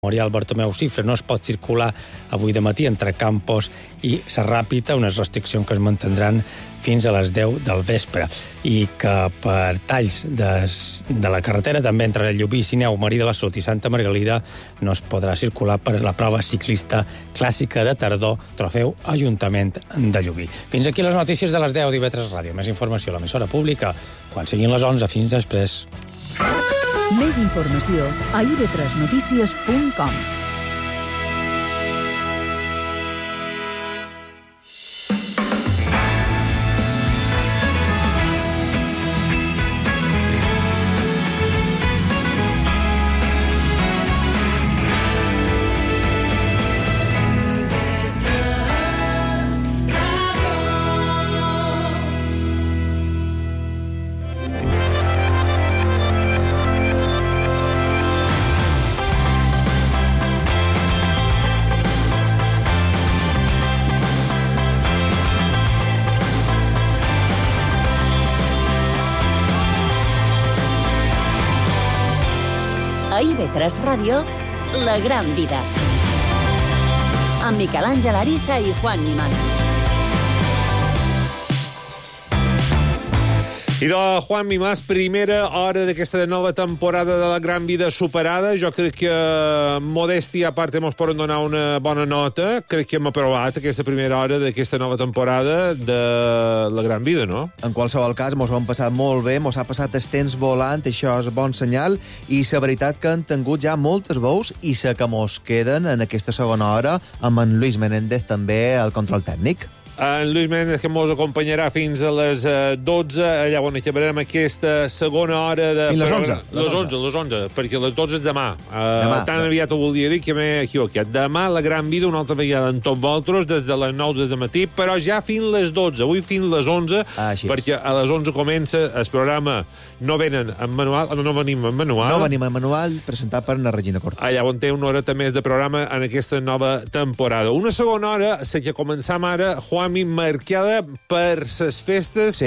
Memorial Bartomeu Cifre no es pot circular avui de matí entre Campos i Sarràpita, unes restriccions que es mantindran fins a les 10 del vespre, i que per talls de la carretera també entre Llubí, Sineu, Marí de la Salut i Santa Margalida no es podrà circular per la prova ciclista clàssica de tardor Trofeu Ajuntament de Llubí. Fins aquí les notícies de les 10 d'IV3 Ràdio. Més informació a l'emissora pública quan siguin les 11. Fins després. Més informació a ib3notícies.com. A IB3 Ràdio, La Gran Vida. Amb Miquel Àngel Ariza i Juan Nimas. I de Juan Mimàs, primera hora d'aquesta nova temporada de La Gran Vida superada. Jo crec que, modèstia a part, ens poden donar una bona nota. Crec que hem aprovat aquesta primera hora d'aquesta nova temporada de La Gran Vida, no? En qualsevol cas, mos ho hem passat molt bé, mos ha passat el temps volant, això és bon senyal, i la veritat que han tingut ja moltes veus i la que mos queden en aquesta segona hora amb en Luis Menéndez també al control tècnic. En Luis Méndez, que ens acompanyarà fins a les 12, allà on acabarem aquesta segona hora de... Fins les 11. Les 11, perquè les 12 és demà. Tan aviat ho volia dir que m'he equivocat. Demà La Gran Vida, una altra vegada amb tots vosaltres, des de les 9 de matí, però ja fins les 12. Avui fins les 11, perquè a les 11 comença el programa. No venen en manual, no venim en manual. No venim en manual, presentat per na Regina Cortés. Allà on té una horeta més de programa en aquesta nova temporada. Una segona hora, la que començam ara, Juanmi, marcada per les festes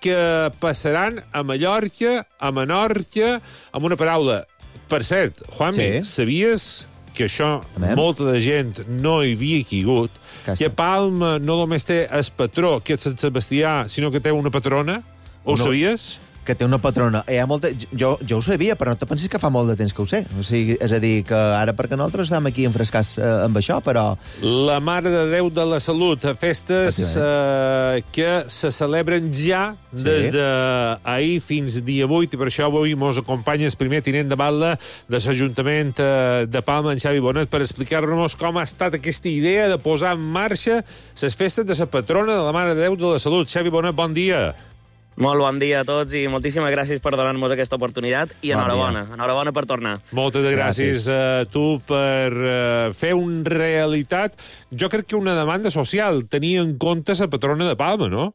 que passaran a Mallorca, a Menorca, amb una paraula. Per cert, Juanmi, sabies que això molta de gent no hi havia caigut, que Palma no només té el patró, que és Sant Sebastià, sinó que té una patrona? Ho sabies? Que té una patrona. Hi ha molta... jo ho sabia, però no te pensis que fa molt de temps que ho sé. O sigui, és a dir, que ara perquè nosaltres estem aquí enfrescats amb això, però... La Mare de Déu de la Salut, festes que se celebren ja des d'ahir fins dia 8, i per això avui ens acompanya el primer tinent de batlle de l'Ajuntament de Palma, en Xavi Bonet, per explicar-nos com ha estat aquesta idea de posar en marxa les festes de la patrona de la Mare de Déu de la Salut. Xavi Bonet, bon dia. Molt bon dia a tots i moltíssimes gràcies per donar-nos aquesta oportunitat i enhorabona. Enhorabona per tornar. Moltes gràcies a tu per fer una realitat. Jo crec que una demanda social, tenir en compte la patrona de Palma, no?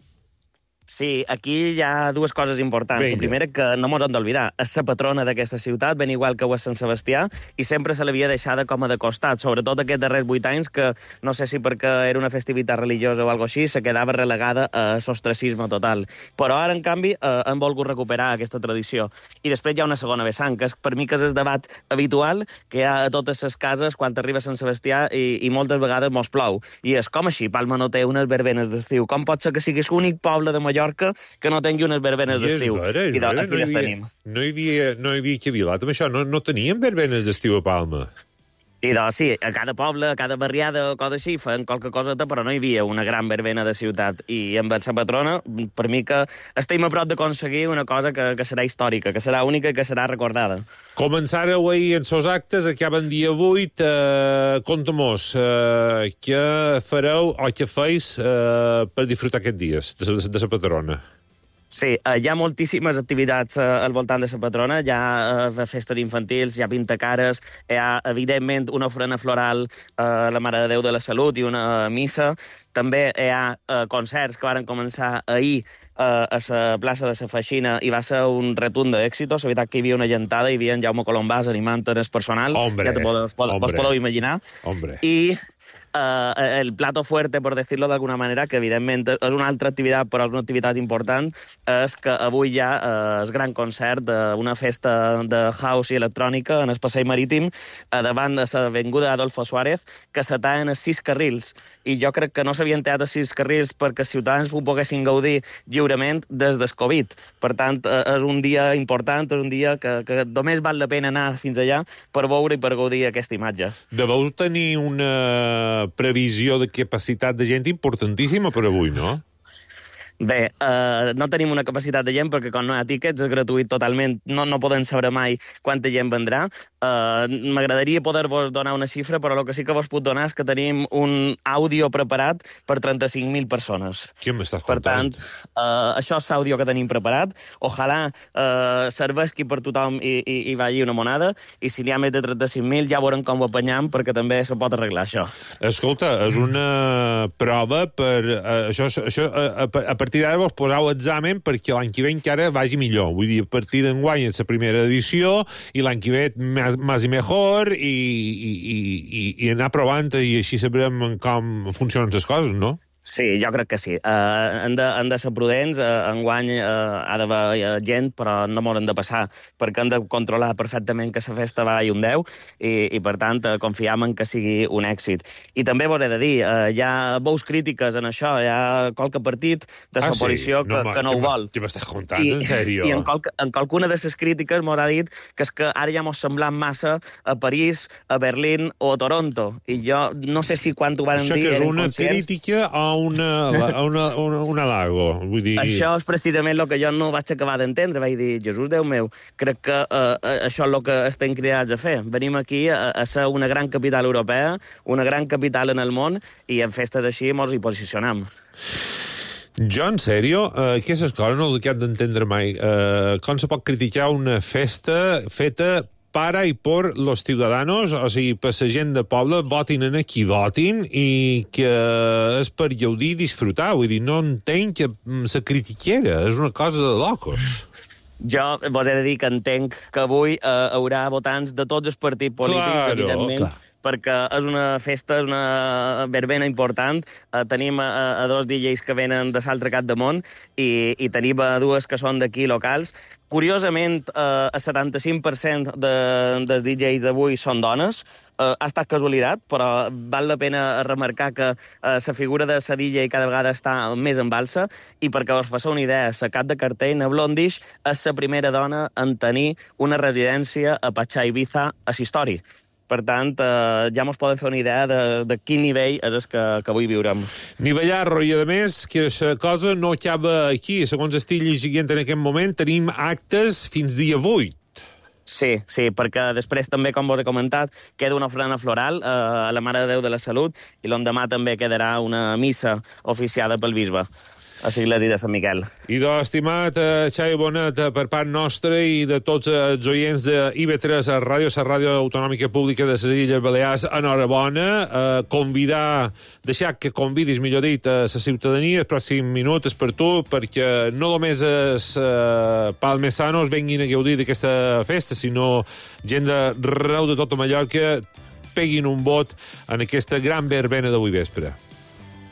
Sí, aquí hi ha dues coses importants. La primera, que no mos hem d'oblidar, és la patrona d'aquesta ciutat, ben igual que ho és Sant Sebastià, i sempre se l'havia deixada com a de costat, sobretot aquests darrers 8 anys, que no sé si perquè era una festivitat religiosa o alguna cosa així, se quedava relegada a l'ostracisme total. Però ara, en canvi, hem volgut recuperar aquesta tradició. I després hi ha una segona vessant, que és, per mi, que és el debat habitual que hi ha a totes les cases quan arriba a Sant Sebastià i moltes vegades mos plou. I és com així, Palma no té unes verbenes d'estiu. Com pot ser que siguis l'únic poble de Mallorca que no tingui unes verbenes d'estiu? I aquí les tenim. No hi havia cavilat amb això, no teníem verbenes d'estiu a Palma. I doncs sí, a cada poble, a cada barriada o cosa així, feien qualque coseta, però no hi havia una gran verbena de ciutat. I amb la patrona, per mi que estem a prop d'aconseguir una cosa que serà històrica, que serà única i que serà recordada. Començareu ahir en els actes, acaben dia 8. Conta-mos, què fareu o què feis per disfrutar aquests dies de la patrona? Sí, hi ha moltíssimes activitats al voltant de la patrona. Hi ha festes infantils, hi ha pintacares, hi ha, evidentment, una ofrena floral a la Mare de Déu de la Salut i una missa. També hi ha concerts que van començar ahir a la plaça de la Feixina i va ser un retund d'èxit. La veritat que hi havia una gentada, hi havia en Jaume Colombàs animant el personal. Hombre, ja vos podeu imaginar. Hombre. I el plato fuerte, per dir-lo d'alguna manera, que evidentment és una altra activitat, però és una activitat important, és que avui hi ha el gran concert d'una festa de house i electrònica en el passeig marítim davant de l'avinguda Adolfo Suárez, que se tallen els 6 carrils. I jo crec que no s'havien tallat els 6 carrils perquè els ciutadans ho poguessin gaudir lliurement des del Covid. Per tant, és un dia important, és un dia que només val la pena anar fins allà per veure i per gaudir aquesta imatge. Deveu tenir una previsió de capacitat de gent importantíssima per avui, no? Bé, no tenim una capacitat de gent perquè quan no hi ha tíquets és gratuït totalment, no podem saber mai quanta gent vendrà. M'agradaria poder-vos donar una xifra, però el que sí que vos puc donar és que tenim un àudio preparat per 35.000 persones. Què m'estàs contant? Per tant, això és l'àudio que tenim preparat. Ojalà serveixi per tothom i vagi una monada, i si n'hi ha més de 35.000 ja veurem com ho apanyam, perquè també se pot arreglar això. Escolta, és una prova per... a partir d'ara vos poseu examen perquè l'any que ve encara vagi millor. Vull dir, a partir d'enguany és la primera edició i l'any que ve més i mejor i anar provant i així sabrem com funcionen les coses, no? Sí, jo crec que sí. Han de ser prudents. Enguany ha d'haver gent, però no m'hauran de passar, perquè han de controlar perfectament que la festa vagi un 10 i per tant, confiem en que sigui un èxit. I també vos he de dir, hi ha veus crítiques en això, hi ha qualque partit de l'oposició que no ho vol. Què m'estàs contant, en sèrio? I en qualcuna de les crítiques m'haurà dit que és que ara ja mos semblant massa a París, a Berlín o a Toronto. I jo no sé si quan ho van dir... Això que és una crítica a un halago. Vull dir... Això és precisament el que jo no vaig acabar d'entendre. Vaig dir, Jesús, Déu meu, crec que això és el que estem cridats a fer. Venim aquí a ser una gran capital europea, una gran capital en el món, i en festes així mos hi posicionam. Jo, en sèrio, aquestes coses no les he d'entendre mai. Com se pot criticar una festa feta para i por los ciudadanos, o sigui, per la gent de poble, votin en qui votin i que és per gaudir i disfrutar. Vull dir, no entenc que se critiquera, és una cosa de locos. Jo vos he de dir que entenc que avui haurà votants de tots els partits polítics, evidentment, perquè és una festa, és una verbena important. Tenim a 2 DJs que venen de l'altre cap de món i tenim a 2 que són d'aquí locals. Curiosament, el 75% dels DJs d'avui són dones. Ha estat casualitat, però val la pena remarcar que la figura de la DJ cada vegada està més en balsa, i perquè us faci una idea, la cap de cartell, na Blondish, és la primera dona en tenir una residència a Pachá, Ibiza, a la història. Per tant, ja mos poden fer una idea de quin nivell és el que avui viurem. Nivellarro, i a més, que la cosa no acaba aquí. Segons estic llegint en aquest moment, tenim actes fins dia 8. Sí, perquè després també, com vos he comentat, queda una ofrena floral a la Mare de Déu de la Salut, i l'endemà també quedarà una missa oficiada pel bisbe a l'església de Sant Miquel. I estimat Xavi Bonet, per part nostra i de tots els oients de IB3 a ràdio, la ràdio autonòmica pública de les Illes Balears, enhorabona. Deixar que convidis, millor dit, a la ciutadania els pròxims minuts per tu, perquè no només els palmesanos venguin a gaudir d'aquesta festa, sinó gent d'arreu de tota Mallorca peguin un vot en aquesta gran verbena d'avui vespre.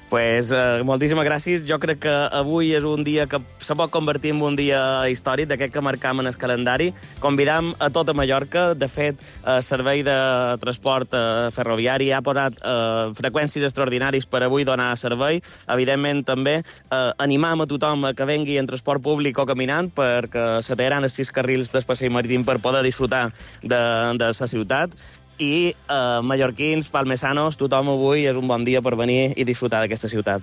Pues, moltíssimes gràcies. Jo crec que avui és un dia que se pot convertir en un dia històric, d'aquest que marcam en el calendari. Convidam a tota Mallorca. De fet, el servei de transport ferroviari ha posat freqüències extraordinaris per avui donar servei. Evidentment, també animam a tothom que vengui en transport públic o caminant, perquè se tallaran els 6 carrils del passeig marítim per poder disfrutar de la ciutat. I mallorquins, palmesanos, tothom avui és un bon dia per venir i disfrutar d'aquesta ciutat.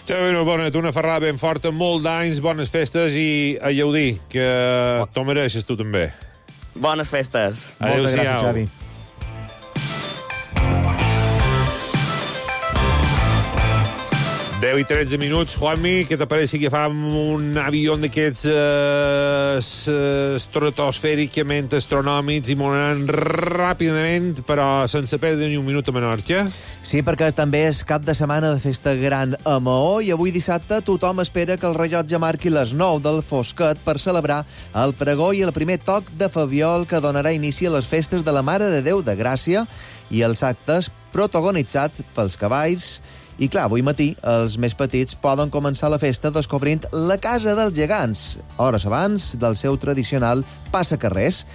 Xavi Bonet, una ferrada ben forta, molt d'anys, bones festes i a gaudir, que t'ho mereixes tu també. Bones festes. Moltes gràcies, Xavi. 10 i 13 minuts. Juanmi, què t'apareix que fam un avió d'aquests estratosfèricament astronòmics i molant ràpidament, però sense perdre ni un minut a Menorca? Sí, perquè també és cap de setmana de festa gran a Maó i avui dissabte tothom espera que el rellotge marqui les 9 del Fosquet per celebrar el pregó i el primer toc de Fabiol que donarà inici a les festes de la Mare de Déu de Gràcia i els actes protagonitzats pels cavalls. I clar, avui matí els més petits poden començar la festa descobrint la Casa dels Gegants, hores abans del seu tradicional passacarrers.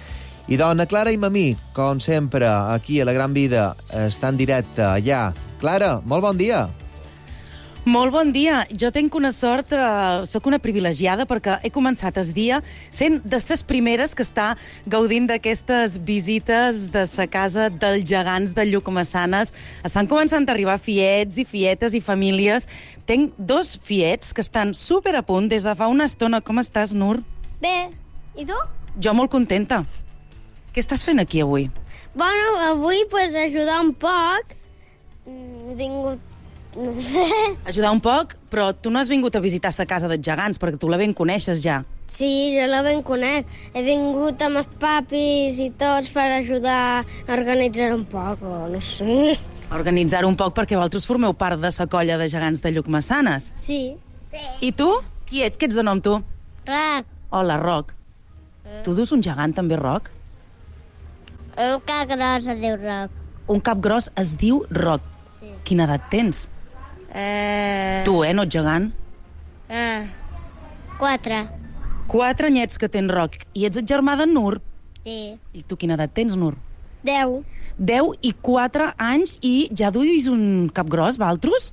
I dona Clara i Mamí, com sempre, aquí a La Gran Vida, està en directe allà. Clara, molt bon dia. Molt bon dia. Jo tenc una sort, sóc una privilegiada perquè he començat el dia sent de les primeres que està gaudint d'aquestes visites de la Casa dels Gegants de Llucmessanes. Estan començant a arribar fiets i fietes i famílies. Tenc 2 fiets que estan super a punt des de fa una estona. Com estàs, Nur? Bé. I tu? Jo molt contenta. Què estàs fent aquí avui? Bueno, avui pues, ajudar un poc. He vingut... No sé. Ajudar un poc, però tu no has vingut a visitar la Casa dels Gegants, perquè tu la ben coneixes ja. Sí, jo la ben conec. He vingut amb els papis i tots per ajudar a organitzar un poc, o no sé. Organitzar un poc perquè vosaltres formeu part de la colla de gegants de Llucmessanes. Sí. I tu? Qui ets? Què ets de nom, tu? Roc. Hola, Roc. Tu dus un gegant, també, Roc? Un cap gros es diu Roc. Un cap gros es diu Roc. Sí. Quina edat tens? Tu, no ets gegant? 4. 4 anyets que tens, Roc. I ets el germà d'en Nur? Sí. I tu quina edat tens, Nur? 10. 10 i 4 anys i ja duis un cap gros, valtros?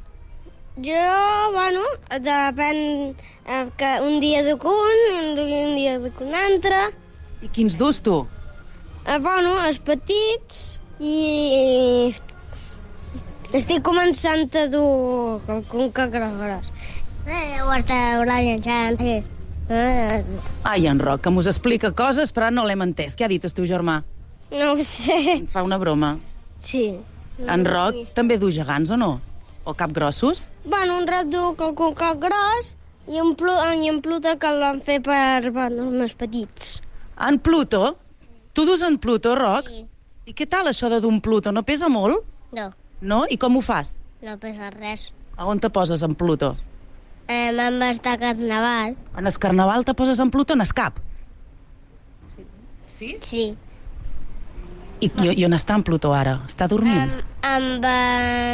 Jo, bueno, depèn que un dia duc un dia duc un altre. I quins dus, tu? Bueno, els petits i... Estic començant a dur un cap gros. Ho està organitzant, sí. Ai, en Roc, que mos explica coses, però no l'hem entès. Què ha dit el teu germà? No ho sé. Ens fa una broma. Sí. En Roc també du gegants o no? O cap grossos? Bueno, un Roc du un cap gros i en Pluto que el van fer per els més petits. En Pluto? Tu dus en Pluto, Roc? Sí. I què tal això de dur un Pluto? No pesa molt? No, No? I com ho fas? no pesa res. A on te poses en Pluto? Me'n va estar a Carnaval. En el Carnaval te poses en Pluto en el cap? Sí? Sí. I on està en Pluto ara? Està dormint? Em va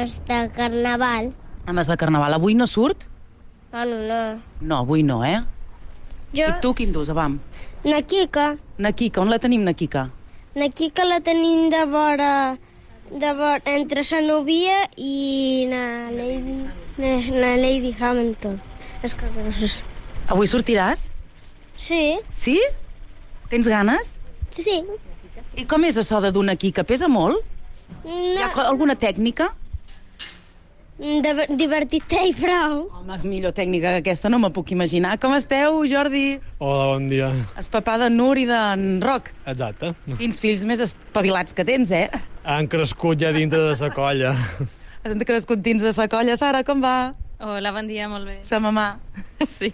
estar a Carnaval. A més de Carnaval. Avui no surt? Bueno, no. No, avui no, eh? Jo, I tu quin dus, avam? na Kika. Na Kika, on la tenim, na Kika? Na Kika la tenim de vora entre la Novia i na Lady Hamilton. És que grossos. Avui sortiràs? Sí, Sí? Tens ganes? sí. I com és això de dur una Kika? Pesa molt? No, Hi ha alguna tècnica? divertit-te i prou. Home, millor tècnica que aquesta no me puc imaginar. Com esteu, Jordi? Hola, bon dia. El papà d'en Nur i d'en Roc. Exacte. Quins fills més espavilats que tens, eh? Han crescut ja dintre de la colla. Has crescut dins de la colla. Sara, com va? Hola, bon dia, molt bé. Sa mamà. Sí.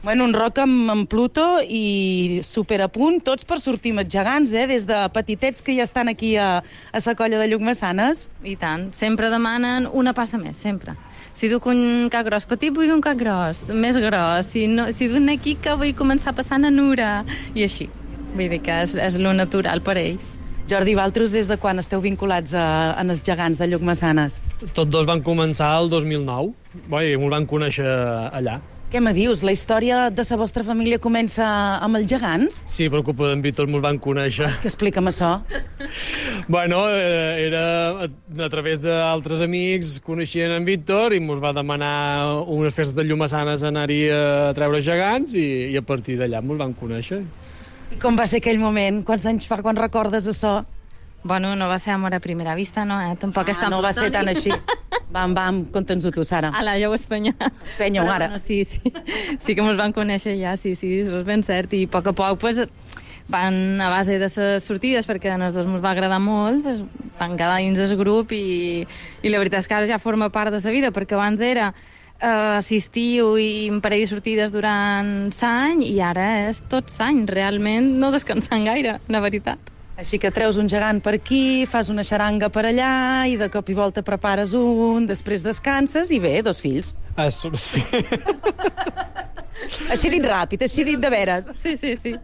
Bueno, un Roc amb Pluto i super a punt, tots per sortir amb els gegants, des de petitets que ja estan aquí a la colla de Llucmessanes. I tant. Sempre demanen una passa més, sempre. Si duc un cap gros petit, vull un cap gros, més gros. Si duc una Kika, vull començar passant a Nura. I així. Vull dir que és lo natural per ells. Jordi, vosaltres des de quan esteu vinculats en els gegants de Llucmessanes? Tots dos van començar el 2009. Bé, ens van conèixer allà. Què me dius? La història de la vostra família comença amb els gegants? Sí, per culpa d'en Víctor ens van conèixer. Que explica'm això. Bueno, era a través d'altres amics, coneixien en Víctor i ens va demanar unes festes de Llucmessanes anar-hi a treure gegants i a partir d'allà ens van conèixer. I com va ser aquell moment? Quants anys fa quan recordes això? Bueno, no va ser amor a primera vista, no, eh? Tampoc és tan no va ser tan així. Vam, conta'ns-ho tu, Sara. Ala, ja ho espenya. Espenya-ho, ara. No, sí que ens van conèixer ja, sí, això és ben cert. I a poc, pues, van a base de les sortides, perquè a nosaltres ens va agradar molt, pues, van quedar dins del grup i la veritat és que ara ja forma part de la vida, perquè abans era assistiu i un parell de sortides durant l'any i ara és tot l'any, realment no descansant gaire, la veritat. Així que treus un gegant per aquí, fas una xaranga per allà i de cop i volta prepares un, després descanses i bé, 2 fills. Sí. Així dit ràpid, així dit de veres. Sí.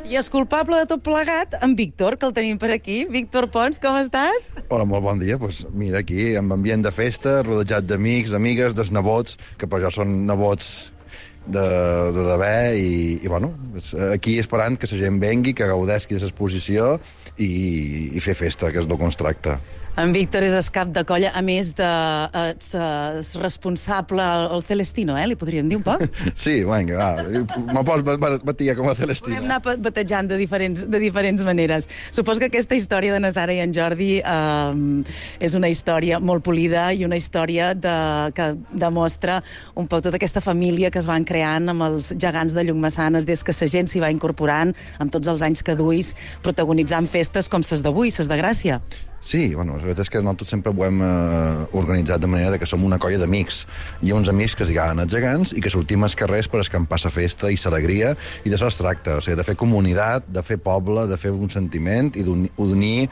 I és culpable de tot plegat en Víctor, que el tenim per aquí. Víctor Pons, com estàs? Hola, molt bon dia. Pues mira, aquí, amb ambient de festa, rodejat d'amics, amigues, dels nebots, que per jo són nebots de d'haver, i bueno, aquí esperant que la gent vengui, que gaudesqui de l'exposició i fer festa, que és el que ens tracta. En Víctor és el cap de colla, a més de és responsable al Celestino, li podríem dir un poc? Sí, vinga, va. Me pots batir com a Celestino. Podem anar batejant de diferents maneres. Suposo que aquesta història de na Sara i en Jordi és una història molt polida i una història que demostra un poc tota aquesta família que es van creant amb els gegants de Llucmessanes des que la gent s'hi va incorporant amb tots els anys que duis, protagonitzant festes com ses d'avui, ses de Gràcia. Sí, bueno, la veritat és que nosaltres sempre ho hem organitzat de manera que som una colla d'amics. Hi ha uns amics que es diuen els gegants i que sortim als carrers per escampar la festa i l'alegria, i d'això es tracta, o sigui, de fer comunitat, de fer poble, de fer un sentiment i d'unir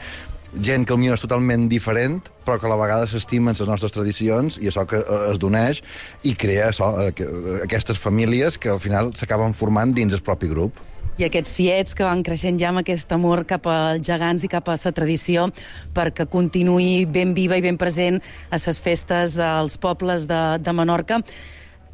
gent que potser és totalment diferent, però que a la vegada s'estimen les nostres tradicions, i això que es d'uneix i crea això, aquestes famílies que al final s'acaben formant dins el propi grup. I aquests fiets que van creixent ja amb aquest amor cap als gegants i cap a la tradició perquè continuï ben viva i ben present a les festes dels pobles de Menorca.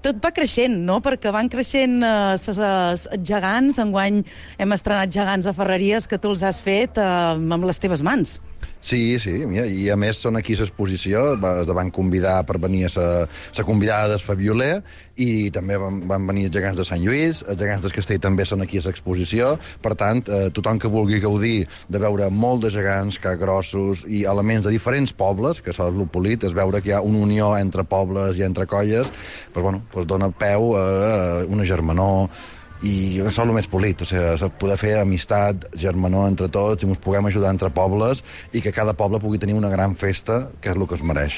Tot va creixent, no? Perquè van creixent els gegants. Enguany hem estrenat gegants a Ferreries que tu els has fet amb les teves mans. Sí, mira, i a més són aquí a l'exposició, es van convidar per venir a la convidada del Fabioler, i també van venir els gegants de Sant Lluís, els gegants del Castell també són aquí a l'exposició, per tant, tothom que vulgui gaudir de veure molt de gegants, grossos i elements de diferents pobles, que això és el polit, és veure que hi ha una unió entre pobles i entre colles, però bueno, dona peu a una germanor, i això és el més polit, o sigui, poder fer amistat, germanor entre tots, i ens puguem ajudar entre pobles, i que cada poble pugui tenir una gran festa, que és el que es mereix.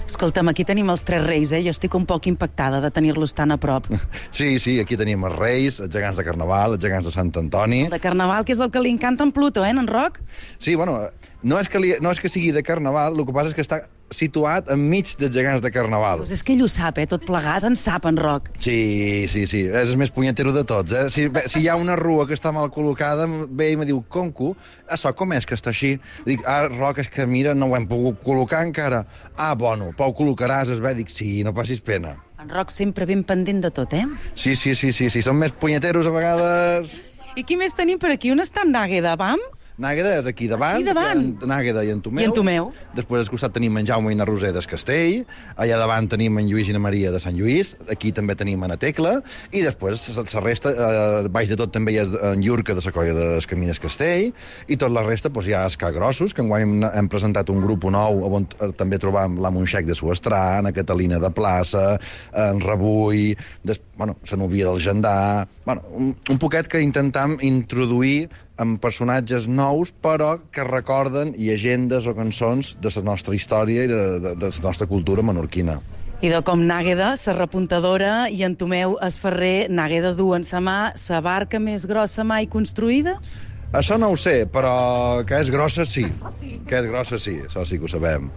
Escolta'm, aquí tenim els Tres Reis, Jo estic un poc impactada de tenir-los tan a prop. Sí, aquí tenim els Reis, els gegants de Carnaval, els gegants de Sant Antoni. El de Carnaval, que és el que li encanta en Pluto, en Roc? Sí, bueno, no és que sigui de Carnaval, el que passa és que està situat enmig dels gegants de Carnaval. Pues és que ell ho sap, tot plegat, en sap, en Roc. Sí, és el més punyetero de tots, Si hi ha una rua que està mal col·locada, ve i me diu, Conco, això com és que està així? Dic, Roc, és que mira, no ho hem pogut col·locar encara. Bueno, però ho col·locaràs, Dic, sí, no passis pena. En Roc sempre ben pendent de tot, Sí, són més punyeteros a vegades. I qui més tenim per aquí? On està en Nágueda, vam? Nágueda és aquí davant. Nágueda i en Tomeu. Després al costat tenim en Jaume i na Roser del Castell. Allà davant tenim en Lluís i na Maria de Sant Lluís. Aquí també tenim en Tecla. I després la resta, baix de tot també hi ha en Llurca de la colla del Camí del Castell. I tot la resta hi ha els Grossos, que enguany hem presentat un grup nou on també trobam la Montxec de Suestrà, na Catalina de Plaça, en Rebull, la Núvia del Gendà... Un poquet que intentam introduir amb personatges nous, però que recorden llegendes o cançons de la nostra història i de la nostra cultura menorquina. I de com Nágueda, la repuntadora, i en Tomeu es ferrer, Nágueda du en sa mà la barca més grossa mai construïda? Això no ho sé, però que és grossa sí. Que és grossa sí, això sí que ho sabem.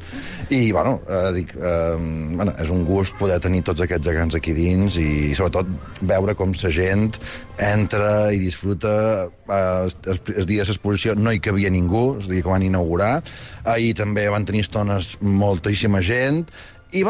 I, és un gust poder tenir tots aquests gegants aquí dins i, sobretot, veure com la gent entra i disfruta. El dia de l'exposició no hi cabia ningú, el dia que van inaugurar. Ahir també van tenir estones moltíssima gent. I,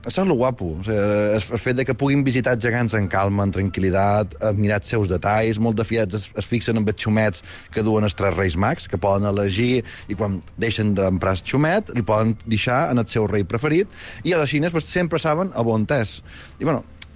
això és el guapo, el fet que puguin visitar gegants en calma, en tranquil·litat, mirar els seus detalls. Molts de fiats es fixen en els xumets que duen els Tres Reis Mags, que poden elegir, i quan deixen d'emprar el xumet, li poden deixar en el seu rei preferit, i a les xines sempre saben a on és. I,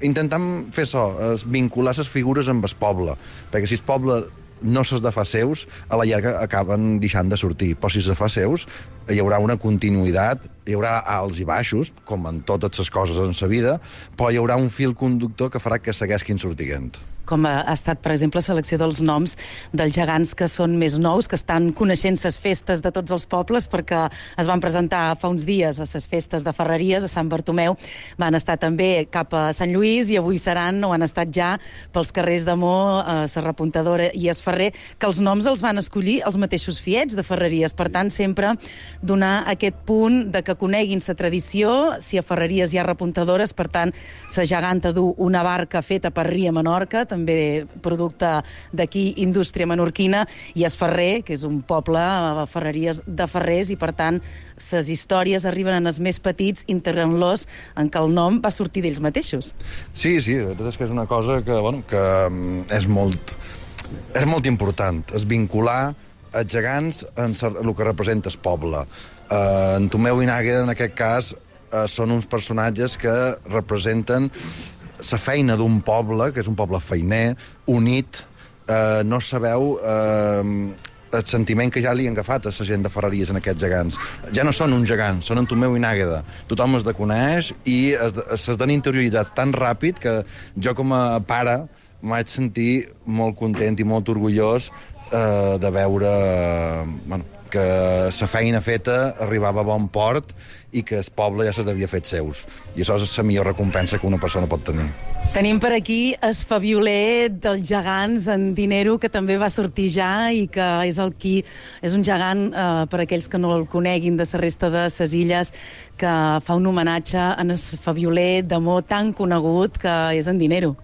intentam fer això, vincular les figures amb el poble, perquè si el poble no se'ls de fa seus, a la llarga acaben deixant de sortir. Però si se'ls fa seus, hi haurà una continuïtat, hi haurà alts i baixos, com en totes les coses en la vida, però hi haurà un fil conductor que farà que segueixin sortint. com ha estat, per exemple, la selecció dels noms dels gegants que són més nous, que estan coneixent les festes de tots els pobles, perquè es van presentar fa uns dies a les festes de Ferreries, a Sant Bartomeu, van estar també cap a Sant Lluís i avui seran, o han estat ja, pels carrers de Mó, la Repuntadora i es Ferrer, que els noms els van escollir els mateixos fiets de Ferreries. Per tant, sempre donar aquest punt de que coneguin la tradició. Si a Ferreries hi ha repuntadores, per tant, la geganta du una barca feta per Ria Menorca, també producte d'aquí, indústria menorquina, i es Ferrer, que és un poble, a Ferreries de Ferrers, i per tant, les històries arriben en els més petits, integrant-los en què el nom va sortir d'ells mateixos. Sí, la veritat és que és una cosa que és molt important, és vincular els gegants en el que representa el poble. En Tomeu i Nàgueda, en aquest cas, són uns personatges que representen la feina d'un poble, que és un poble feiner, unit. No sabeu el sentiment que ja li han agafat a la gent de Ferreries en aquests gegants. Ja no són un gegant, són en Tomeu i Nàgueda. Tothom els coneix i s'estan interioritzats tan ràpid que jo, com a pare, m'haig sentir molt content i molt orgullós de veure que la feina feta arribava a bon port i que el poble ja se'ls havia fet seus. I això és la millor recompensa que una persona pot tenir. Tenim per aquí el fabioler dels gegants, en Dinero, que també va sortir ja i que és un gegant, per aquells que no el coneguin, de la resta de les illes, que fa un homenatge en el fabioler d'amor tan conegut que és en Dinero.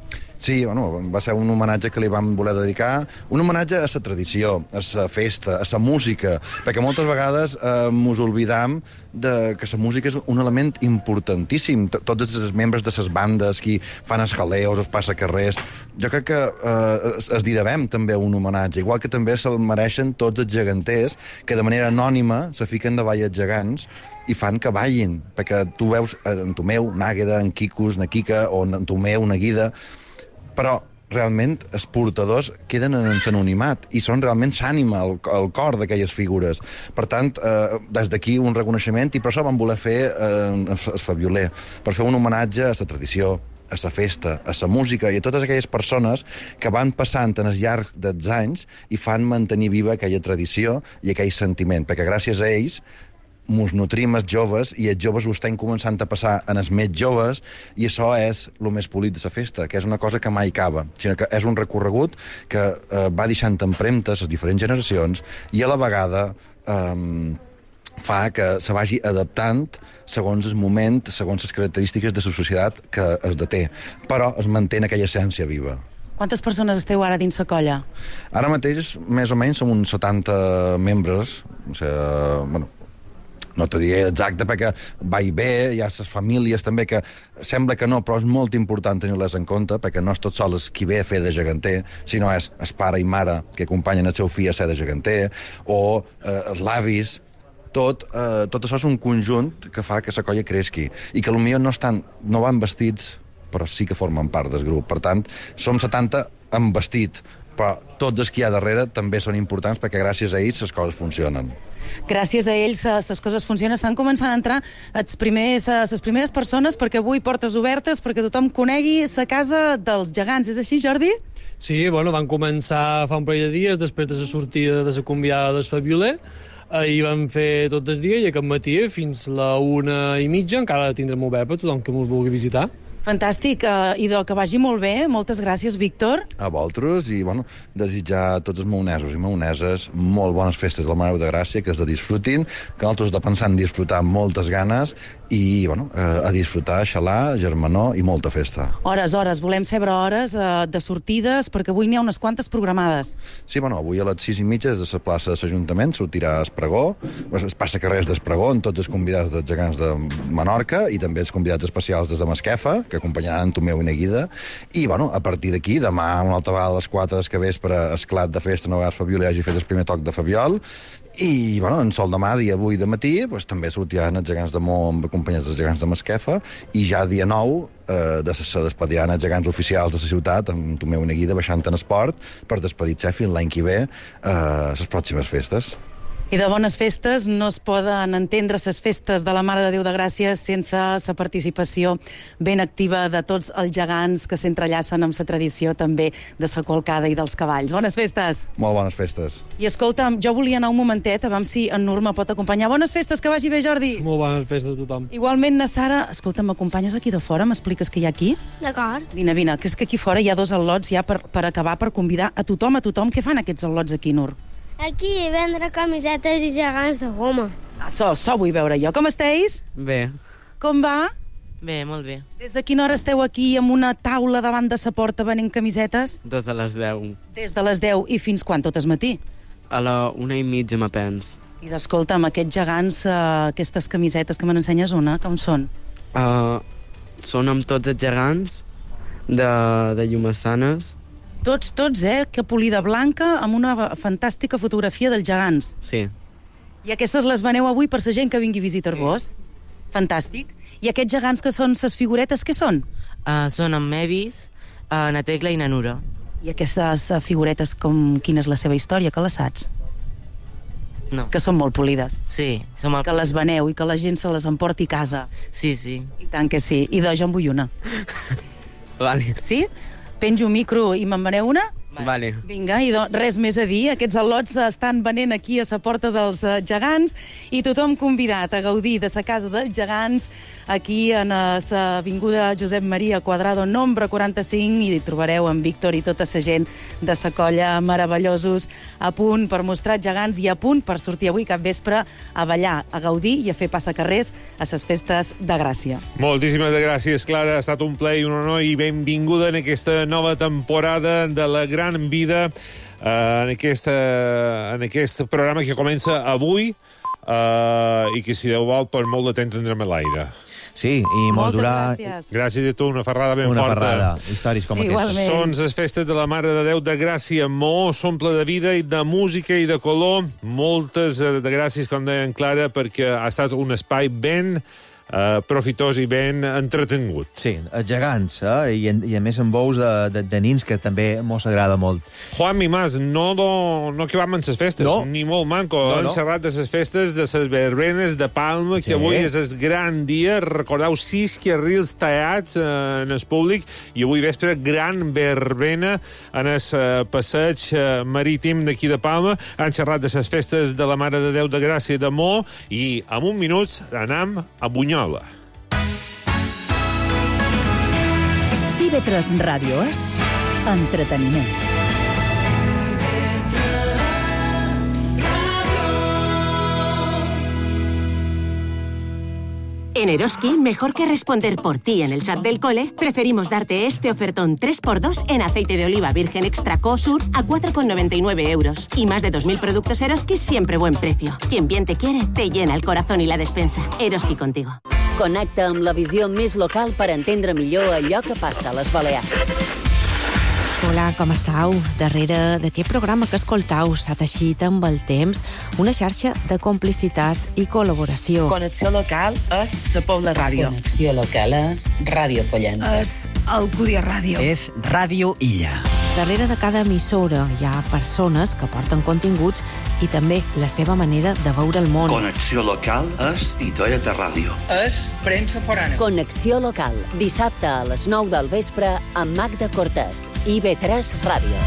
Sí, va ser un homenatge que li vam voler dedicar, un homenatge a la tradició, a la festa, a la música, perquè moltes vegades mos oblidam que la música és un element importantíssim. Tots els membres de les bandes, qui fan els jaleos, els passacarrers, jo crec que es devem també un homenatge, igual que també se'l mereixen tots els geganters, que de manera anònima se fiquen davall els gegants i fan que ballin, perquè tu veus en Tomeu, Nàgueda, en Quicos, na Quica, o en Tomeu, na Guida, però realment els portadors queden en l'anonimat i són realment l'ànima, el cor d'aquelles figures. Per tant, des d'aquí un reconeixement, i per això vam voler fer el fabioler, per fer un homenatge a la tradició, a la festa, a la música i a totes aquelles persones que van passant en el llarg dels anys i fan mantenir viva aquella tradició i aquell sentiment, perquè gràcies a ells mos nutrim els joves i els joves ho estan començant a passar en els més joves i això és el més polit de la festa, que és una cosa que mai acaba, sinó que és un recorregut que va deixant empremtes les diferents generacions i a la vegada fa que se vagi adaptant segons el moment, segons les característiques de la societat que es deté, però es manté aquella essència viva. Quantes persones esteu ara dins la colla? Ara mateix, més o menys, som uns 70 membres, o sigui, no t'ho diré exacte perquè va i bé, hi ha les famílies també que sembla que no, però és molt important tenir-les en compte perquè no és tot sol qui ve a fer de geganter, sinó és el pare i mare que acompanyen el seu fill a ser de geganter o els avis. Tot això és un conjunt que fa que la colla creixi i que potser no van vestits però sí que formen part del grup. Per tant, som 70 amb vestit, però tots els que hi ha darrere també són importants perquè gràcies a ells les coses funcionen. Gràcies a ells les coses funcionen. Estan començant a entrar les primeres persones perquè avui portes obertes perquè tothom conegui la casa dels gegants. És així, Jordi? Sí, van començar fa un parell de dies després de la sortida de la convidada del fabioler. Ahir vam fer tot el dia i aquest matí fins la 1:30 encara tindrem obert per tothom que ens vulgui visitar. Fantàstic, idò, que vagi molt bé. Moltes gràcies, Víctor. A vosaltres i, desitjar a tots els maonesos i maoneses molt bones festes del Mare de Gràcia, que es de disfrutin, que nosaltres de pensar en disfrutar amb moltes ganes i, a disfrutar, xalar, germanor i molta festa. Hores. Volem saber hores de sortides, perquè avui n'hi ha unes quantes programades. Sí, avui a les 6:30 des de la plaça de l'Ajuntament sortirà el pregó, es passa carrers del pregó amb tots els convidats dels gegants de Menorca i també els convidats especials des de Masquefa, que acompanyaran en Tomeu i Nàgueda, i, a partir d'aquí, demà, una altra vegada a les 4 del vespre, esclat de festa, no vegades Fabiola hagi fet el primer toc de Fabiol, i, en sol demà, dia 8 de matí, també sortiran els gegants de Mó acompanyats dels gegants de Masquefa, i ja dia 9 se despediran els gegants oficials de la ciutat, amb Tomeu i Nàgueda baixant en esport, per despedir-se fins l'any que ve les pròximes festes. I de bones festes no es poden entendre les festes de la Mare de Déu de Gràcia sense la participació ben activa de tots els gegants que s'entrellacen amb la tradició també de la colcada i dels cavalls. Bones festes! Molt bones festes. I escolta'm, jo volia anar un momentet, a veure si en Nur me pot acompanyar. Bones festes, que vagi bé, Jordi! Molt bones festes a tothom. Igualment, na Sara, escolta'm, m'acompanyes aquí de fora? M'expliques què hi ha aquí? D'acord. Vine, que és que aquí fora hi ha 2 al·lots ja per acabar, per convidar a tothom. Què fan aquests al·lots aquí, Nur? Aquí vendre camisetes i gegants de goma. Això vull veure jo. Com esteu? Bé. Com va? Bé, molt bé. Des de quina hora esteu aquí amb una taula davant de sa porta venent camisetes? Des de les 10. Des de les 10 i fins quan? Tot el matí? A la 1:30 m'apens. I d'escolta'm, aquests gegants, aquestes camisetes que me n'ensenyes una, com són? Són amb tots els gegants de Llumassanes. Tots, que polida blanca amb una fantàstica fotografia dels gegants. Sí. I aquestes les veneu avui per la gent que vingui a visitar-vos? Sí. Fantàstic. I aquests gegants que són ses figuretes, què són? Són en Mevis, na Tecla i na Nura. I aquestes figuretes, quina és la seva història, que les saps? No. Que són molt polides. Sí. Que les veneu i que la gent se les emporti a casa. Sí, sí. I tant que sí. I jo en vull una. Vale. Sí? Penjo un micro i me'n veneu una? Vale. Vinga, i res més a dir. Aquests al·lots estan venent aquí a la porta dels gegants i tothom convidat a gaudir de la casa dels gegants aquí en l'avinguda Josep Maria Quadrado, nombre 45, i hi trobareu en Víctor i tota la gent de la colla meravellosos a punt per mostrar gegants i a punt per sortir avui cap vespre a ballar, a gaudir i a fer passacarrers a les festes de Gràcia. Moltíssimes gràcies, Clara. Ha estat un plaer i un honor i benvinguda en aquesta nova temporada de La Gran Vida, en aquest programa que comença avui i que, si Déu vol, per molt de temps tindrem a l'aire. Sí, i molt durar... Gràcies a tu, una ferrada ben forta. Una ferrada, històries com aquestes. Són les festes de la Mare de Déu de Gràcia. Mo s'omple de vida i de música i de color. Moltes de gràcies, com deien Clara, perquè ha estat un espai ben profitós i ben entretengut. Sí, els gegants, i a més amb bous de nins, que també mos agrada molt. Juan Mimàs, no acabam amb les festes, ni molt manco. Hem xerrat de les festes, de les verbenes de Palma, que avui és el gran dia. Recordeu 6 carrils tallats en el públic, i avui vespre gran verbena en el passeig marítim d'aquí de Palma. Han xerrat de les festes de la Mare de Déu de Gràcia de Mo, i en un minut anam a Bunyola. TV3 Ràdio és entreteniment. En Eroski, mejor que responder por ti en el chat del cole, preferimos darte este ofertón 3x2 en aceite de oliva virgen extra Cosur a 4,99 euros. Y más de 2.000 productos Eroski siempre buen precio. Quien bien te quiere, te llena el corazón i la despensa. Eroski contigo. Connecta amb la visió més local per entendre millor allò que passa a les Balears. Hola, com estàu? Darrere d'aquest programa que escoltau s'ha teixit amb el temps una xarxa de complicitats i col·laboració. Connexió local és la Pobla Ràdio. Connexió local és Ràdio Pollença. És Alcúdia Ràdio. És Ràdio Illa. Darrere de cada emissora hi ha persones que porten continguts i també la seva manera de veure el món. Connexió local és Titoia de Ràdio. És premsa forana. Connexió local, dissabte a les 9 del vespre amb Magda Cortés, IB3 Ràdio.